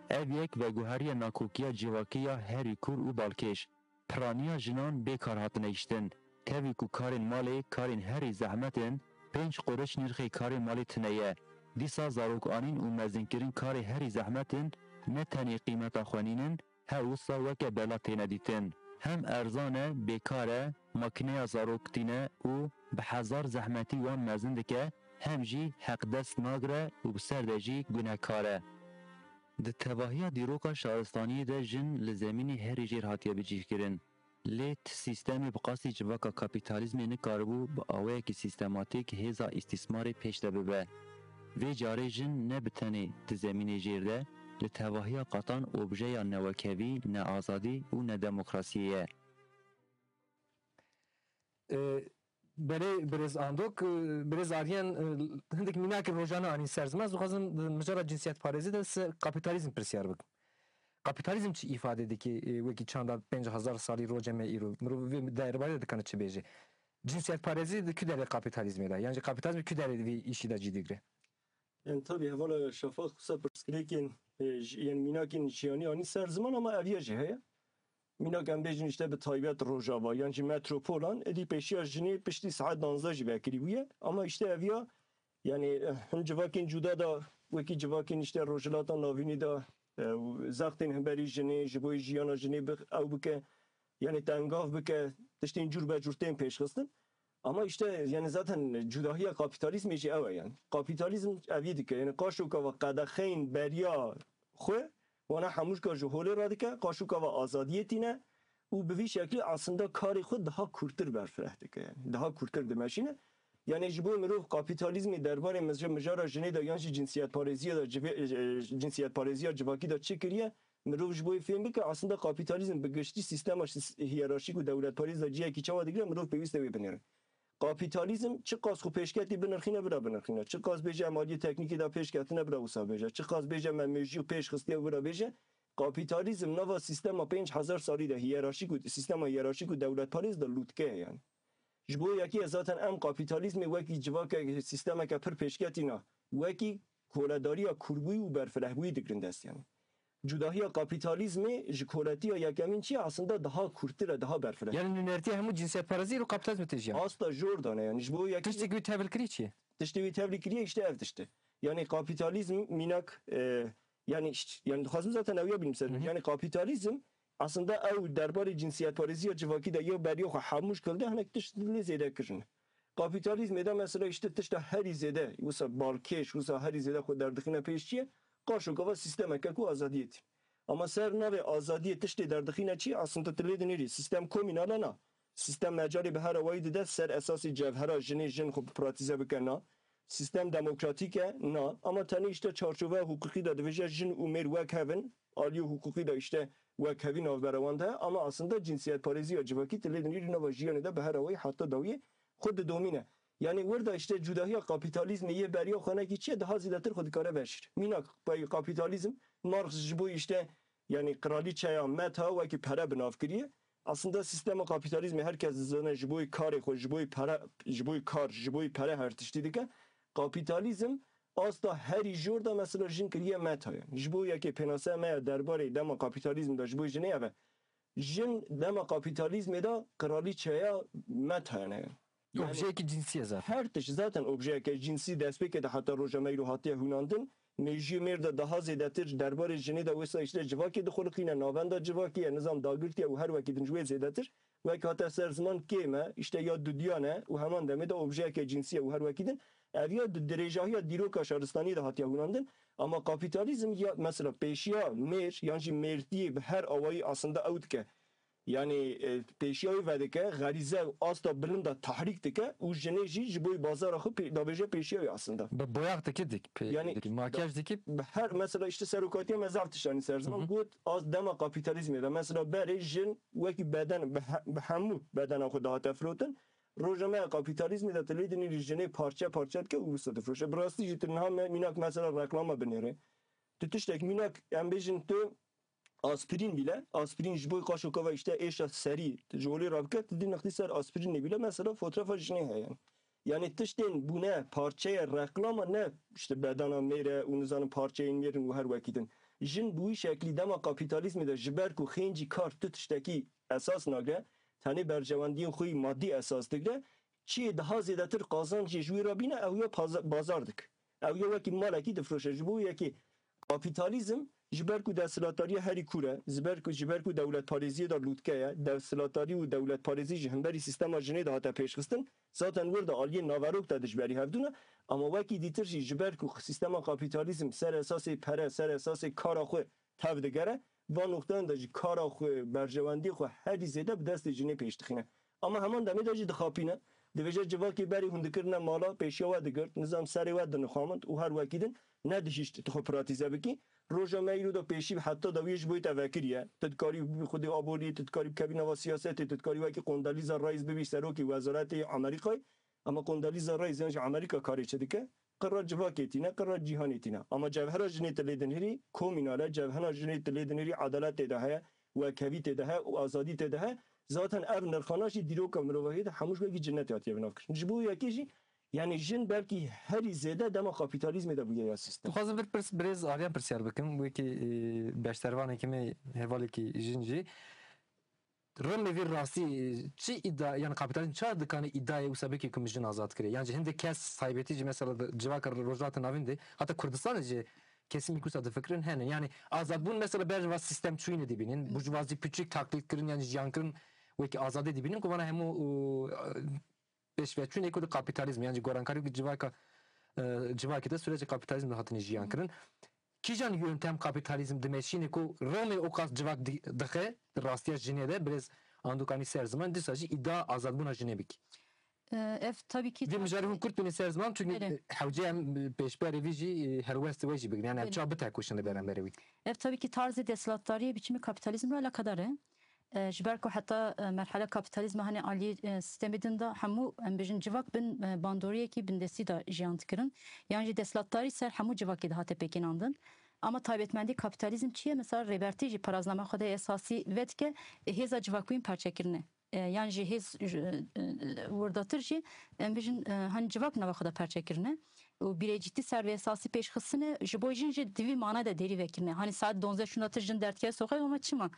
Ev yek veguheriya nakokiya civakî ya herî kûr û balkêş. Piraniya jinan bê kar hatine hiştin. Tevî ku karên malê karên herî zehmet in, pênc quriş nirxê karê malê tune ye. Dîsa zarokanîn û mezinkirin karê herî zehmet in, ne tenê qîmeta xwe nînin, her wisa weke bela têne dîtin. Hem erzan e, bêkar e, makineya zarok tîne û bi hezar zehmetî wan mezin dike, hem jî heqdest nagire û bi ser de jî gunehkar e. Di tevahiya dîroka şaristaniyê de jin li zemînê herî jêr hatiye bicihkirin. Lê ti sîstemê bi qasî civaka kapîtalîzmê nikaribû bi awayekî sîstematîk hêza îstîsmarê pêş de bibe. Vê carê jin ne bi tenê di zemînê jêr de, li tevahiya qatan objeya ne wekhevî, ne azadî û ne demokrasiyê ye. E, Belê birêz Andok, e, birêz Aryen, e, hindik mînakê rojane anîn ser ziman. Ez dixwazim di mijara cinsiyetparêzî de ser kapîtalîzm pirsyar bikim. Kapîtalîzm çi îfade dike, e, wekî çanda pênc hezar salî roce me îro? Mirov vê derbarê de dikane çi bêje? Cinsiyetparêzî di ku derê kapîtalîzmê de? Yan jî kapîtalîzm ku derê vê îşî de cî digre? Yani tabii hevala Şafak wisa pirsgirêkên, e, j-, yani mînakên jiyanî anî ser ziman ama eviya jî heye. Mînak em bêjin işte bi taybet Rojava yan jî metropolan, êdî pêşiya jinê piştî saet danzdeh jî vekirî bûye. Ama işte eviya yani, eh, hin civakên cuda da wekî civakên işte Rojhilata Navînî da, e, zextên himberî jinê, ji bo jiyana jinê bi-, ew bike, yani tengav bike, tiştên cûr be cûr tên pêşxistin. Ama işte yani zaten cudahiya kapîtalîzmê jî ew e yani. Kapîtalîzm evî dike. Yani qaşoka ve qedexeyên beriya xwe wana hemûşka ji holê radike, qaşoka ve azadiyê tîne û bi vî şeklî aslında karê xwe daha kûrtir berfireh dike yani. Daha kûrtir dimeşîne. Yani ji bo mirov kapîtalîzmê derbarê mij-, mijara jinê de yan jî cinsiyetparêziya de civê-, e, e, cinsiyetparêziya civakî de çi kiriye, mirov ji bo yê fêm bike, aslında kapîtalîzm bi giştî sîstema şis-, hiyerarşîk û dewletparêz de cihekî çawa digire, mirov pêwîst e wê binêre. Kapîtalîzm çiqas xwe pêşketî binirxîne, bira binirxîne. Çiqas bêje em aliyê teknîkê de pêşketine, bira wisa bêje. Çiqas bêje me mêjiyê pêş xistiye, bira bêje. Kapîtalîzm nava sîstema pênc hezar salî de hiyerarşîk û sîstema hiyerarşîk û dewletparêz de lûtke ye yani. Ji bo yekê zaten em kapîtalîzmê wekî civakek, sîstemeke pir pêşketî na, wekî koledariya kûrbûyî û berfirehbûyî digirin dest yani. Cudahiya kapîtalîzmê ji koletiya yekemîn çi ye? Aslında daha kûrtir e, daha berfireh. Yani nûnertiya hemû cinsiyetparêzî li kapîtalîzmê têjiya. Asta jor dane yani. Ji bo yekî. Tiştê ku wî tevil kiriye çi ye? Tiştê wî tevlî kiriye işte ev tişt e. Yani kapîtalîzm mînak, e, yani işte, yani dixwazim zaten ew ya bînim ser. Hı hı. Yani kapîtalîzm aslında ew derbarê cinsiyetparêziya civakî de ya beriya xwe hemû şkil de hinek tişt lê zêde kirine. Kapîtalîzmê de mesela işte tişta herî zêde, wisa balkêş, wisa herî zêde xwe derdixîne pêş çi ye? Qaşokava sîstemeke ku azadiyê tî. Ama ser navê azadiyê tiştê derdixîne çi? Aslında tu lê dinêrî. Sîstem komînal e na. Sîstem mecalê bi her awayî dide ser esasê cevhera jinê jin xwe pratîze bike na. Sîstem demokratîk e na. Ama tenê işte çarçoveya hiqûqî de dibêje jin û mêr wek hev in. Aliyê hiqûqî de işte wekhevî navbera wan de. Ama aslında cinsiyetparêziya civakî tu lê dinêrî nava jiyanê de bi her awayî heta dawiyê xwe didomîne. Yani wir de işte cudahiya kapîtalîzmê yê beriya xwe nekî çi ye, daha zêdetir xwe dikare veşîr. Mînak pey kapîtalîzm, Marx ji bo işte yani qiralîçeya Meta wekî pere bi nav kiriye. Aslında sîstema kapîtalîzmê her kes dizane ji bo karê xwe, ji bo pere, ji bo kar, ji bo pere her tiştî dike. Kapîtalîzm asta herî jor de mesela jin kiriye Meta ye. Ji bo yekê pênase me ye derbarê dema kapîtalîzm de ji bo jinê ev e. Jin dema kapîtalîzmê de qiralîçeya Meta ne. Yani objeyekî cinsî ye zaten. Her tişt zaten objeyeke cinsî destpêkê de heta roja me îro hatiye hûnandin. Mêjiyê mêr de daha zêdetir derbarê jinê de wisa işte civakê dixuliqîne, navenda civakê ye, nizam dagirtiye û her wekî din ji wê zêdetir. Wek hate ser ziman kêm e, işte ya dudiyan e û heman demê de objeyeke cinsî ye û her wekî din. Ev ya di dirêjahiya dîroka şaristaniyê de hatiye hûnandin. Ama kapîtalîzm ya mesela pêşiya mêr yan jî mêrdiyê bi her awayî aslında ew dike. Yani e, pêşiya wî vedike, xerîze û asta bilind de tehrîk dike û jinê jî ji bo bazara xwe pê- davêje pêşiya wî aslında. Bi boyax dikî dik, pê- Yani dikî, makyaj dikî. Bi her mesela işte serokatiya me zaf tiştanî ser ziman Hı hı. got, az dema kapîtalîzmê de mesela berê jin wekî beden bi he- bi hemû bedena xwe dihate firotin. Roja me ya kapîtalîzmê de tu lê dinêrî jinê parçe parçe dike û wisa difiroşe. Bi rastî jî tu niha me mînak mesela reklama binêre. Tu tiştek mînak em bêjin tu aspirîn bîle, aspirîn ji bo qaşokava işte êşa serî tu ji holê rabike, tu dî nextî ser aspirînê bîle mesela fotoğrafa jinê heye. Yani tiştên bûne parçeye reklama ne işte bedena mêre û nizanin parçeyên mêrin û her wekî din. Jin bi wî şeklî dema kapîtalîzmê de ji ber ku xêncî kar tu tiştekî esas nagre, tenê berjewendiyên xwe yî madî esas digre, çiyê daha zêdetir qazancê ji wî re bîne, ew ya paza- bazar dik. Ew ya wekî malekî difroşe. Ji bo yekê kapîtalîzm ji ber ku desthilatdariya herî kûr e, ji ber ku, ji ber ku dewletparêziyê de lûtke ye, desthilatdarî û dewletparêzî ji hemberî sîstema jinê de hate pêşxistin, zaten wir de aliyê naverok de dijberî hevdû ne, ama wekî dîtir jî ji ber ku sîstema kapîtalîzm ser esasê pere, ser esasê kara xwe tev digere, van noxteyan de jî kara xwe, berjewendiyê xwe herî zêde bi destê jinê pêş dixîne. Ama heman demê de jî dixapîne. Dibêje civakê berê hûn dikirine mala, pêşiya we digirt, nizam serê we dinixamint û her wekî din nedihişt tu xwe pratîze bikî. Roja me îro de pêşî heta dawiyê ji bo te vekiriye. Tu dikarî bi xwedê aboriyê, tu dikarî bikevî nava siyasetê, tu dikarî wekî Condoleezza Rice bibî serokê wezaretê Amerîkayê. Ama Condoleezza Rice yan jî Amerîka karê çi dike? Qirra civakê tîne, qirra cîhanê tîne. Ama cevhera jinê tu lê dinihirî, komînal e, cevhera jinê tu lê dinihirî, edalet tê de heye, wekhevî tê de heye û azadî tê de heye. Zaten ev nirxana jî dîroka mirovahiyê de hemû ji wekî cinetê hatiye binavkirin. Ji bo yekê jî, yani jin belkî herî zêde dema kapîtalîzmê de bûye ya sîstem. Dixwazim vir pirs, birêz Aryan pirsyar bikim. Wekî, e, beşdervanekî me, hevalekî jin jî. Rûmê vî rastî çi îda, yani kapîtalîzm çawa dikane îdayê wisa bike ku min jin azad kire? Yan jî hindek kes taybetî jî mesela di civaka Rojhilata Navîn de, heta Kurdistanê jî kesimî ku wisa difikirin hene. Yani azadbûn mesela ber va sîstem çûyînê dibînin, burjuvazî piçûk taklîd kirin, yani jiyan kirin wekî azadî dibînin ku vana hemû, û, pêşveçûnê ku di kapîtalîzm, yan jî gorankarî ku civaka, e, civakê de sürecê kapîtalîzm de hatine jiyan kirin. Kîjan yöntem kapîtalîzm dimeşîne ku Romê o qas civak di-, dixe, di rastiya jinê de, birêz Andukanî ser ziman, dîsa jî îda azadbûna jinê bikî? E, ev tabii ki Vê mijarê hûn kurt bîne ser ziman, çünkü Belê. hewce em pêşberê vî jî, e, helwestê we jî bigrin. Yani em Belê. çawa bitekoşin li beramberê wî? Ev tabii ki tarzê desthilatdariyê biçimê kapîtalîzm re alakadar e. E, ji ber ku heta, e, merhela kapîtalîzma, hani alî, e, sîstemê din de hemû, em bêjin, civak bin, e, bandoriyekî bindestî de jiyan dikirin. Yan jî desthilatdarî ser hemû civakê dihate pêkînandin. Ama taybetmendî kapîtalîzm çi ye? Mesela Rêbertî jî paraznama xwe de esasî vedike, e, hêza civakbûyîn perçekirine. E, yan jî hêz, e, e, wirdatir jî, em bêjin, e, hani civak nava xwe de perçekirine. Û bîrêcîtî ser vê esasî pêşxistine, ji bo jin jî di vî mana de dêrî vekirine. Hani saet donzdeh şûna tu jin derdikeve soqek, ama çima?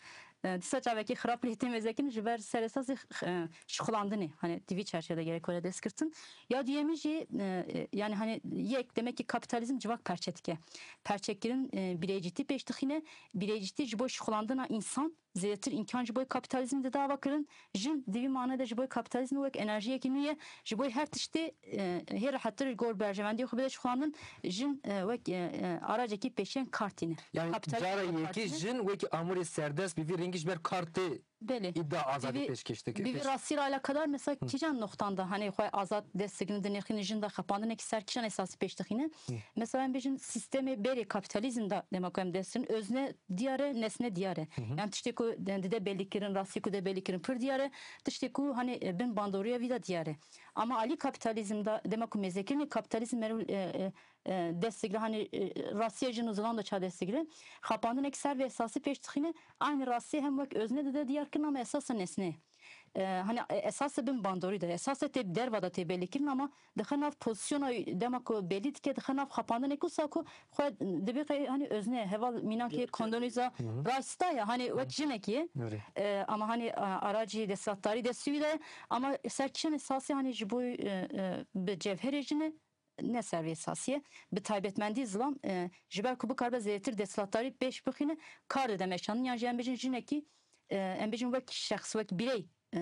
E, dîsa çavekî xirab lê tê mêzekirin ji ber ser esasê, e, şixulandinê. Hani di vî çerçevede gerek were destgirtin. Ya duyemî jî, e, yani hani yek, demek ki kapîtalîzm civak perçe dike. Perçekirin, e, bîrêcîtî pêş dixîne. Bîrêcîtî ji bo şixulandina însan zêdetir îmkan ji bo kapîtalîzmê dide avakirin. Jin di vî mane de ji bo kapîtalîzmê wek enerjiyekî nû ye. Ji bo her tiştê, e, hê rehettir ji gor berjewendiyê xwe bide şixulandin. Jin, e, wek, e, e, aracekî pêşeng kar tîne. Yani Kapîtalîzm cara kar yekê tîne. Jin wekî amûrê serdest bi vî rengî ji ber kar tê Belê. îda azadî Bi vî, pêşkêş dike. bi vî Pêş- rastî re alakadar mesela Hı. kîjan noxtan da, hani xwe azad dest digrin dinirxînin, jin de xepandinek ser kîjan esasî pêş dixîne? Hı. Mesela em bêjin sîstemê berê kapîtalîzm de dema ku em dest digirin, özne diyar e, nesne diyar e. Hı hı. Yani tiştê ku de-, dide belî kirin, rastî ku de belî kirin pir diyar e. Tiştê ku hani, e, bin bandoriya vî de diyar e. Ama alî kapîtalîzm de dema ku mêzekirinê kapîtalîzm merû, e, e, e, dest digire, hani, e, rastiya jin û zilam de ça dest digire. Xapandinek ser vê esasî pêş dixîne, aynî rastî hem wek özne dide diyar kirin ama esasa nesne. E, hani, e, esasa bin bandorî de, esasa tê derva de tê belî kirin ama dixe nav pozisyona dema ku belî dike, dixe nav xapandinek wisa ku xwe dibê qey, hani, özne, heval mînakê Gerçek. Condoleezza Hı hı. Rice da ya, hani, wek jinekî ye. Öyle. E, ama, hani, a-, aracî desthilatdarî destûyî de, ama ser kîjan esasî, hani, ji bo, e, e, bi cevherê jin e, ne ser vê esasî ye. Bi taybetmendî zilam, e, ji ber ku bikaribe zêdetir desthilatdarî pêş bixîne, kar dide meşandin. Yan jî em bêjin jinekî, e, em bêjin wek şexs, wek birey, e,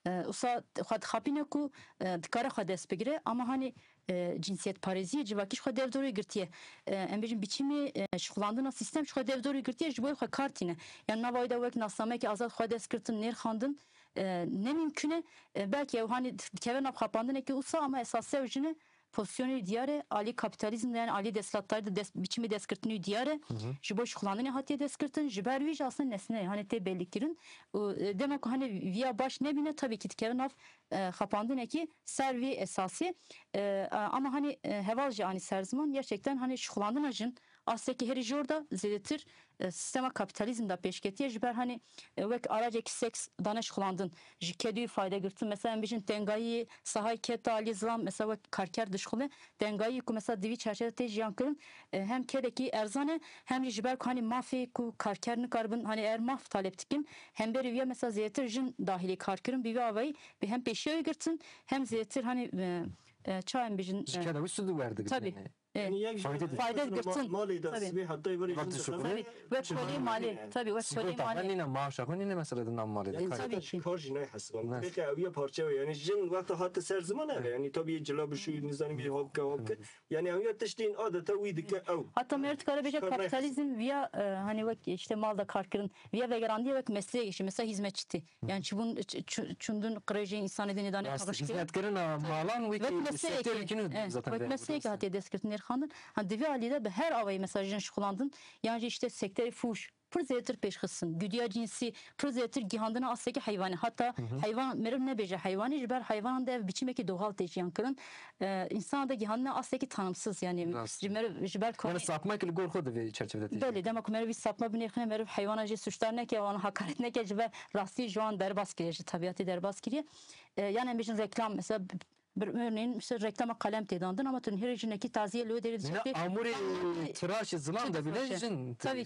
e, wisa xwe dixapîne ku, e, dikare xwe dest bigire. Ama hani, e, cinsiyetparêziyê civakî ji xwe dev dorê girtiye. E, em bêjin biçîmê, e, şixulandina sîstem ji xwe dev dorê girtiye, ji bo xwe kar tîne. Yan nava wê de wek nasnameyeke azad xwe dest girtin, nêrxandin, e, ne mimkun e. E, belkî ew hanî dikeve nav xapandinekî wisa ama esas ew jin e, pozisyonê wî diyar e, alî kapîtalîzm de, yani alî desthilatdarî de dest, biçîmê destgirtinê wî diyar e. Ji bo şixulandinê hatiye destgirtin, ji ber wî jî aslında nesne, hani tê belîkirin. Û, e, dema ku hani viya baş nebîne, tabii ki dikeve nav, e, xapandinekî ser vî esasî. E, ama hani, e, heval jî anî ser ziman, gerçekten hani şixulandina jin astekî herî jor de zêdetir, e, sistema kapîtalîzm de pêşketiye. Ji ber hani, e, wek aracekî seks dane şixulandin, ji kedûyê fayde girtin. Mesela em bijin tengayî sahayê ked de alî zilam, mesela wek karker dişixule, tengayî ku mesela di vî çerçeve tê jiyan kirin, e, hem kedekî erzan e, hem jî ji ber ku hani mafê ku karker nikaribin, hani eğer maf talep dikin, hemberî viya mesela zêdetir jin dahilê kar kirin, bi vî avayî bi hem pêşiya wê girtin, hem zêdetir hani, e, e, ça em bijin, Ji e, keda wî sûd werdigrin. Tabii. Yani. E, Yani yek fayde, fayde girtin. Malê de sibê heta êvarê jin dixebitin. Tabii. Wek kolê malê. Tabii, wek kolê malê. Nîne maaşa xwe, nîne mesela di nav malê de. Yani kar. Tabii ki. Kar jî nayê hesibandin. Peki ew ya parçe ve. Yani jin wexta hate ser ziman ev. Yani tabii cila bişû, nizanim bir hopke hopke. Yani ew ya tiştên adeta wî dike ew. Hatta meriv dikare bêje kapitalizm viya, e, hani wek işte mal da kar kirin. Viya vegerandiye wek mesleğe geçiyor. Mesela hizmetçi. Yani çi bûn, ç-, ç-, çûndin qirêjê însanê dinê dane paqij kirin. Hizmetkirina malan wekî sektörê kî zaten wek mesleğe hatiye destgirtin, nêrxandin. Ha, di vî alî de bi her awayî mesela jin şixulandin. Yan jî işte sektorê fûş pir zêdetir pêşxistin. Gudiya cinsî pir zêdetir gihandina astekî heywanî. Hatta heywan meriv nebêje heywanî, ji ber heywanan de ev biçîmekî doğal tê jiyan kirin. E, însan de gihandina astekî tanımsız, yani ji meriv, ji ber konê. Yani sapmak li gor xwe di vê çerçevede tê. Belê, dema ku meriv vî sapma binêrxine, meriv heywana jê suçdar neke, wan hakaret neke, ji ber rastî ji wan derbas kiriye, ji tebîatê derbas kiriye. E, yani em bêjin reklam, mesela bir örneğin, işte reklama kalem tê dandin, ama tu nihêrî jinekî taziye li wê derê dişitê. Amûrê tiraşê zilam de bile jin. Tabii.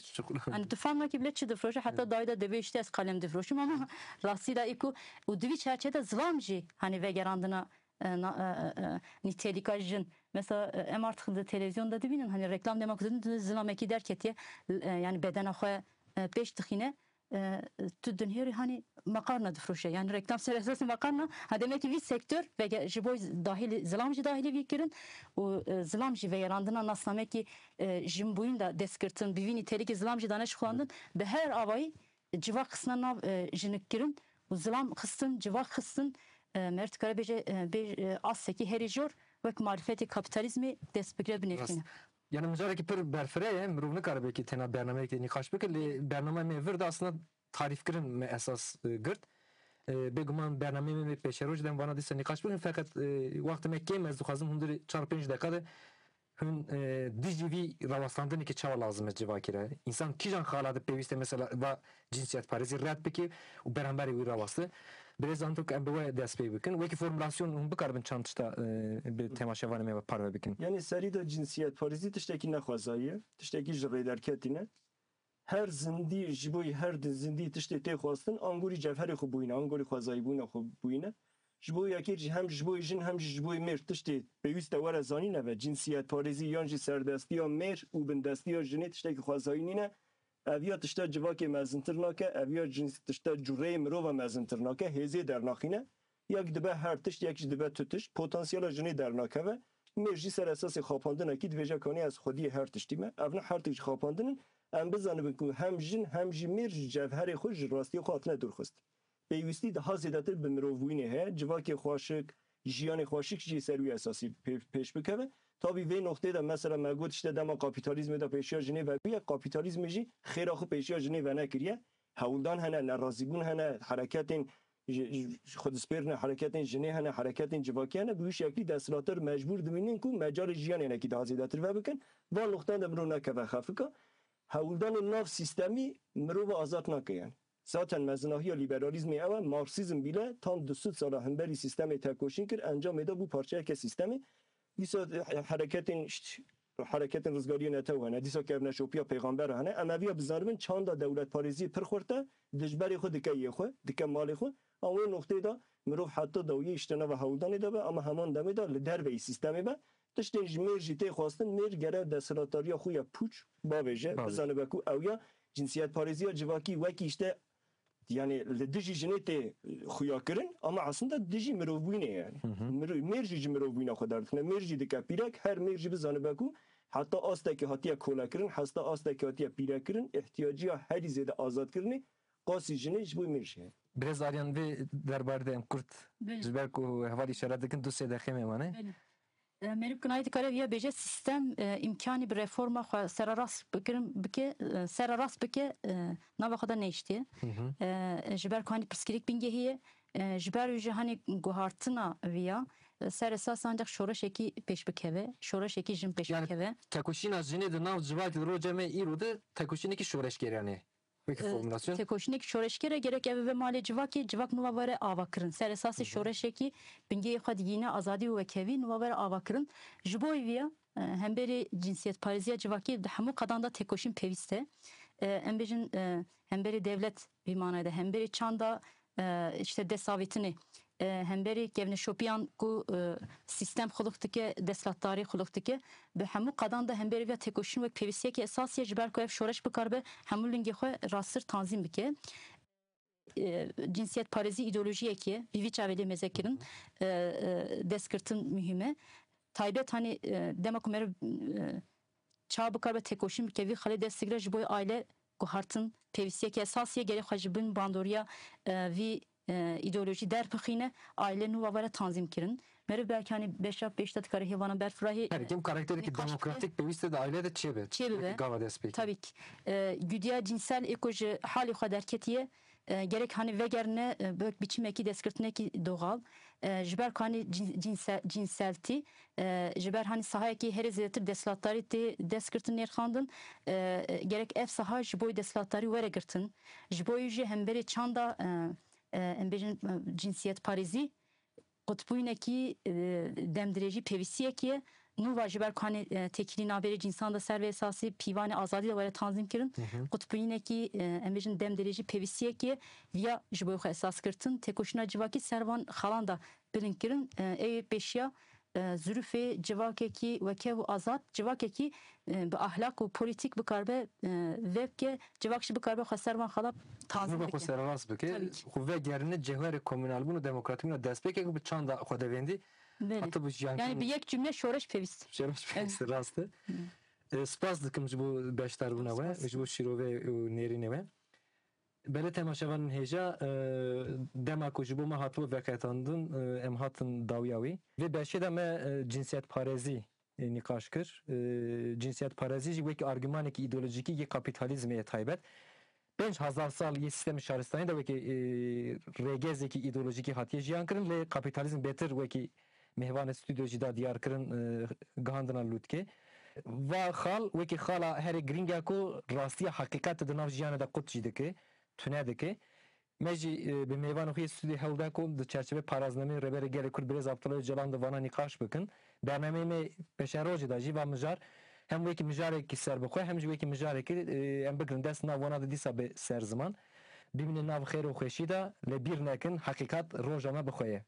Yani tu fam nakî bile çi difroşe, hatta dayê de dibê işte ez kalem difroşim ama rastî de î ku û di vî çerçevede zilam jî hani vegerandina e, na-, e, e, e, nîtelîka jin. Mesela, e, em artık di televîzyonda dibînin, hani reklam dema ku didin, zilamekî derketiye, e, yani bedena xwe, e, pêş dixîne, e, tu dinhêrî hani makarna difroşe. Yani reklam ser esasî makarna, ha demek ki vî sektör vege-, ji bo dahilî, zilam jî dahilî vî kirin û, e, zilam jî vegerandina nasnamekî, e, jinbûyîn de destgirtin, bi vî nîtelîkî zilam jî dane şixulandin, bi her avayî civak xistina nav, e, jinikkirin û zilam xistin, civak xistin, e, meriv dikare bêje, e, bê-, e, astekî herî jor wek marifetê kapîtalîzmê dest bigire binêrxîne. Rast. Yani mijarekî pir berfireh ye, mirov nikare belkî tena bernameyekê nîqaş bike, lê bernameyê me vir de aslında tarîfkirin me esas, e, girt. E, bêguman bernameyê me pêşeroj dem vana dîsa nîqaş bikin, feqet, e, wextê me kêm, ez dixwazim hundirê çar pênc deqa de Hûn, e, dijî vî rawestandinekê çawa lazim e civakî re? Însan kîjan xala de pêwîst e mesela va cinsiyetparêzî red bike û beramberî wî raweste? Birêz zanto ku em bi we dest pê bikin. Wekî formulasyon hûn bikaribin çend tişta, e, bi temaşevanê me ve parve bikin. Yanî serî de cinsiyetparêzî tiştekî nexwezayî ye, tiştekî ji rê derketî ne. Her zindî, ji bo her di zindî tiştê tê xwestin, angorî cevherê xwe bûyîne, angorî xwezayîbûna xwe bûyîne. Ji bo yekê jî hem ji bo jin hem jî ji bo mêr tiştê pêwîst e were zanîn, ev e cinsiyetparêzî yan jî serdestiya mêr û bindestiya jinê tiştekî xwezayî nîne. Ev ya tişta civakê mezintir nake, ev ya cins-, tişta cureyê mirova mezintir nake, hêzê dernaxîne. Yek dibe her tişt, yek jî dibe tu tişt. Potansiyela jinê dernakeve. Mêr jî ser esasê xapandinekî dibêje kanî ez xwediyê her tiştî me. Ev ne her tişt xapandin in. Em bizanibin ku hem jin hem jî mêr ji cevherê xwe, ji rastiyê xwe hatine dûrxist. Pêwîstî daha zêdetir bi mirovbûyînê heye. Civakê xweşik, jiyanê xweşik jî ser wî esasî pê-, pêş bikeve. Tabî vê noxtê de mesela me got işte dema kapîtalîzmê de pêşiya jinê vebûye, kapîtalîzmê jî xêra xwe pêşiya jinê venekiriye. Hewldan hene, nerazîbûn hene, hereketên ji, ji, ji xwedispêrine, hereketên jinê hene, hereketên civakî hene, bi wî şeklî desthilatdar mecbûr dibînin ku mecalê jiyanê hinekî daha zêdetir vebikin. Van noxtan de mirov nekeve xefika. Hewldanên nav sîstemî mirova azad nake yani. Zaten mezinahiya lîberalîzmê ew e, Marksîzm bîle tam du sed sala hemberî sîstemê tekoşîn kir, encamê de bû parçeyeke sîstemê. Dîsa hereketên, şt-, hereketên rizgariyê netew hene, dîsa kevneşopiya pêxamber hene. Em eviya bizanibin çanda dewletparêziyê pir xurt e, dijberê xwe dike yê xwe, dike malê xwe. An wê noqteyê de mirov heta dawiyê işte nava hewldanê de be, ama heman demê de li derveyî sîstemê be. Tiştên ji mêr jî tê xwestin, mêr gere desthilatdariya xwe ya pûç bavêje, Bavêje. Bizanibe ku ew ya cinsiyetparêziya civakî wekî işte Yani li dijî jinê tê xuya kirin, ama aslında dijî mirovbûyînê ye yani. Hı hı. Miro-, mêr jî ji mirovbûyîna xwe derdixine. Mêr jî dike pîrek, her mêr jî bizanibe ku heta astekî hatiye kolekirin, heta astekî hatiye pîrekirin, ihtiyaciya herî zêde azadkirinê qasî jinê ji bo mêr jî heye. Birêz Aryan, vê derbarê de em kurt, belê, ji ber ku hevalî îşaret dikin, du sê deqê me mane. Belê. E, Meriv Kinayî dikare viya bêje, sîstem, e, îmkanî bi reforma xwe sererast bikirin, bike, e, sererast bike, e, nava xwe de nehiştiye. Hı hı. E, ji ber ku hanî pirsgirêk bingehî ye, e, ji ber wî jî hanî guhartina viya, e, ser esas ancak şoreşekî pêş bikeve, şoreşekî jin pêş Yani bikeve. Tekoşîna jinê di nav civakê di roja me îro de tekoşînekî şoreşgerane. Wekî E, formulasyon. Tekoşînekî şoreşger e, gerek ev bibe malê civakê, civak nûva were avakirin. Ser esasê Hı hı. şoreşekî bingehê xwe digihîne azadî û wekhevî, nûva were avakirin. Ji bo vî ya, e, hemberî cinsiyetpareziya civakî di hemû qedan de tekoşîn pêwîst e. E, em bêjin, e, hemberî dewlet vî manayê de, hemberî çanda, e, işte desavêtinê, e, hemberî kevneşopiyan ku, e, sîstem xulix dike, desthilatdarî xulix dike, bi hemû qedan de hemberî vîya tekoşîn wek pêwîstiyekî esasî ye, ji ber ku ev şoreş bikaribe hemû lingê xwe rastir tanzîm bike. E, cinsiyetparêzî îdeolojiyekî ye, bi vî çavê lê mêze kirin, e, e, destgirtin muhîm e. Taybet hanî, e, dema ku meriv, e, çawa bikaribe tekoşîn bike, vî xelê dest digire, ji bo aile guhartin pêwîstiyekî esasî ye, gerek xwe ji bin bandoriya, e, vî, e, îdeolojî derbixîne, aile nûva were tanzîm kirin. Meriv belkî hanî beşa pêş de dikare hêvana berfirahî, Her kim karakterekî nîqaş bike. Demokratîk pêwîst e di aile de çêbe. Çêbibe. Wekî gava destpêkê. Tabii ki. E, güdiya cinsel ê ku ji halê xwe derketiye, e, gerek hanî vegerine, e, bi biçimekî destgirtinekî doğal. E, ji ber ku hanî cin-, cinsel, cinseltî, e, ji ber hanî sahayekî herê zêdetir desthilatdarî tê destgirtin nêrxandin, e, e, gerek ev saha ji bo desthilatdarî were girtin. Ji bo jî hemberê çanda, e, e, em bêjin, e, cinsiyetparêzî, qutbûyînekî, e, demdirêjî pêwîstiyekî ye. Nûva ji ber ku hanî, e, têkilî navberê cînsan de ser vê esasî pîvanê azadî de were tanzîm kirin. Hı hı. Qutbûyînekî, e, em bêjin demdirêjî pêwîstiyekî ye. Viya ji bo xwe esas girtin. Têkoşîna civakî ser van xalan de bilind kirin. E, ê pêşiya, e, zirûfê civakekî wekev û azad, civakekî, e, bi ahlak û polîtîk bikaribe, e, vebke, civak jî bikaribe xwe ser van xala tanzîm Nûva xwe bike. Sererast bike, Tabii ki. Xwe vegerine cewherê komûnalbûn û demokratîbûna destpêkê ku bi çanda xwe de vêndî, Belê. Hatibû jiyan Yani kirin. Bi yek cümle şoreş pêwîst. Şoreş pêwîst, rast e. Hı. E, spas dikim ji bo beşdarbûna we, Spas. Ji bo şîrovê û nêrînê we. Belê temaşevanên hêja, e, dema ku ji bo me hatibû veqetandin, e, em hatin dawiya wî. Vê beşê de me, e, cinsiyetparêzî, e, nîqaş kir. E, cinsiyetparêzî jî wekî argümanekî îdeolojîkî yê kapîtalîzmê ye taybet. Pênc hezar sal yê sîstemê şaristanî de wekî, e, rêgezekî îdeolojîkî hatiye jiyan kirin, lê kapîtalîzm bêtir wekî mêvanê stûdyo jî da diyar kirin, e, gihandina lûtkê. Va xal wekî xala herê girîng e ku rastiya heqîqetê di nav jiyanê de qut jî dike, tune dike. Me jî, e, bi mêvanê xwe yê stûdyoyê hewl da ku di çerçevê paraznemeyê Rêberê Gelê Kurd Birêz Abdullah Ocalan di vana nîqaş bikin. Bernameyê me pêşerojê de jî va mijar hem wekî mijarekî serbixwe hem jî wekî mijarekî, e, em bigirin dest nav wana de dîsa bi ser ziman. Bimînin nav xêr û xweşî de, lê bîr nekin, heqîqet roja me bi xwe ye.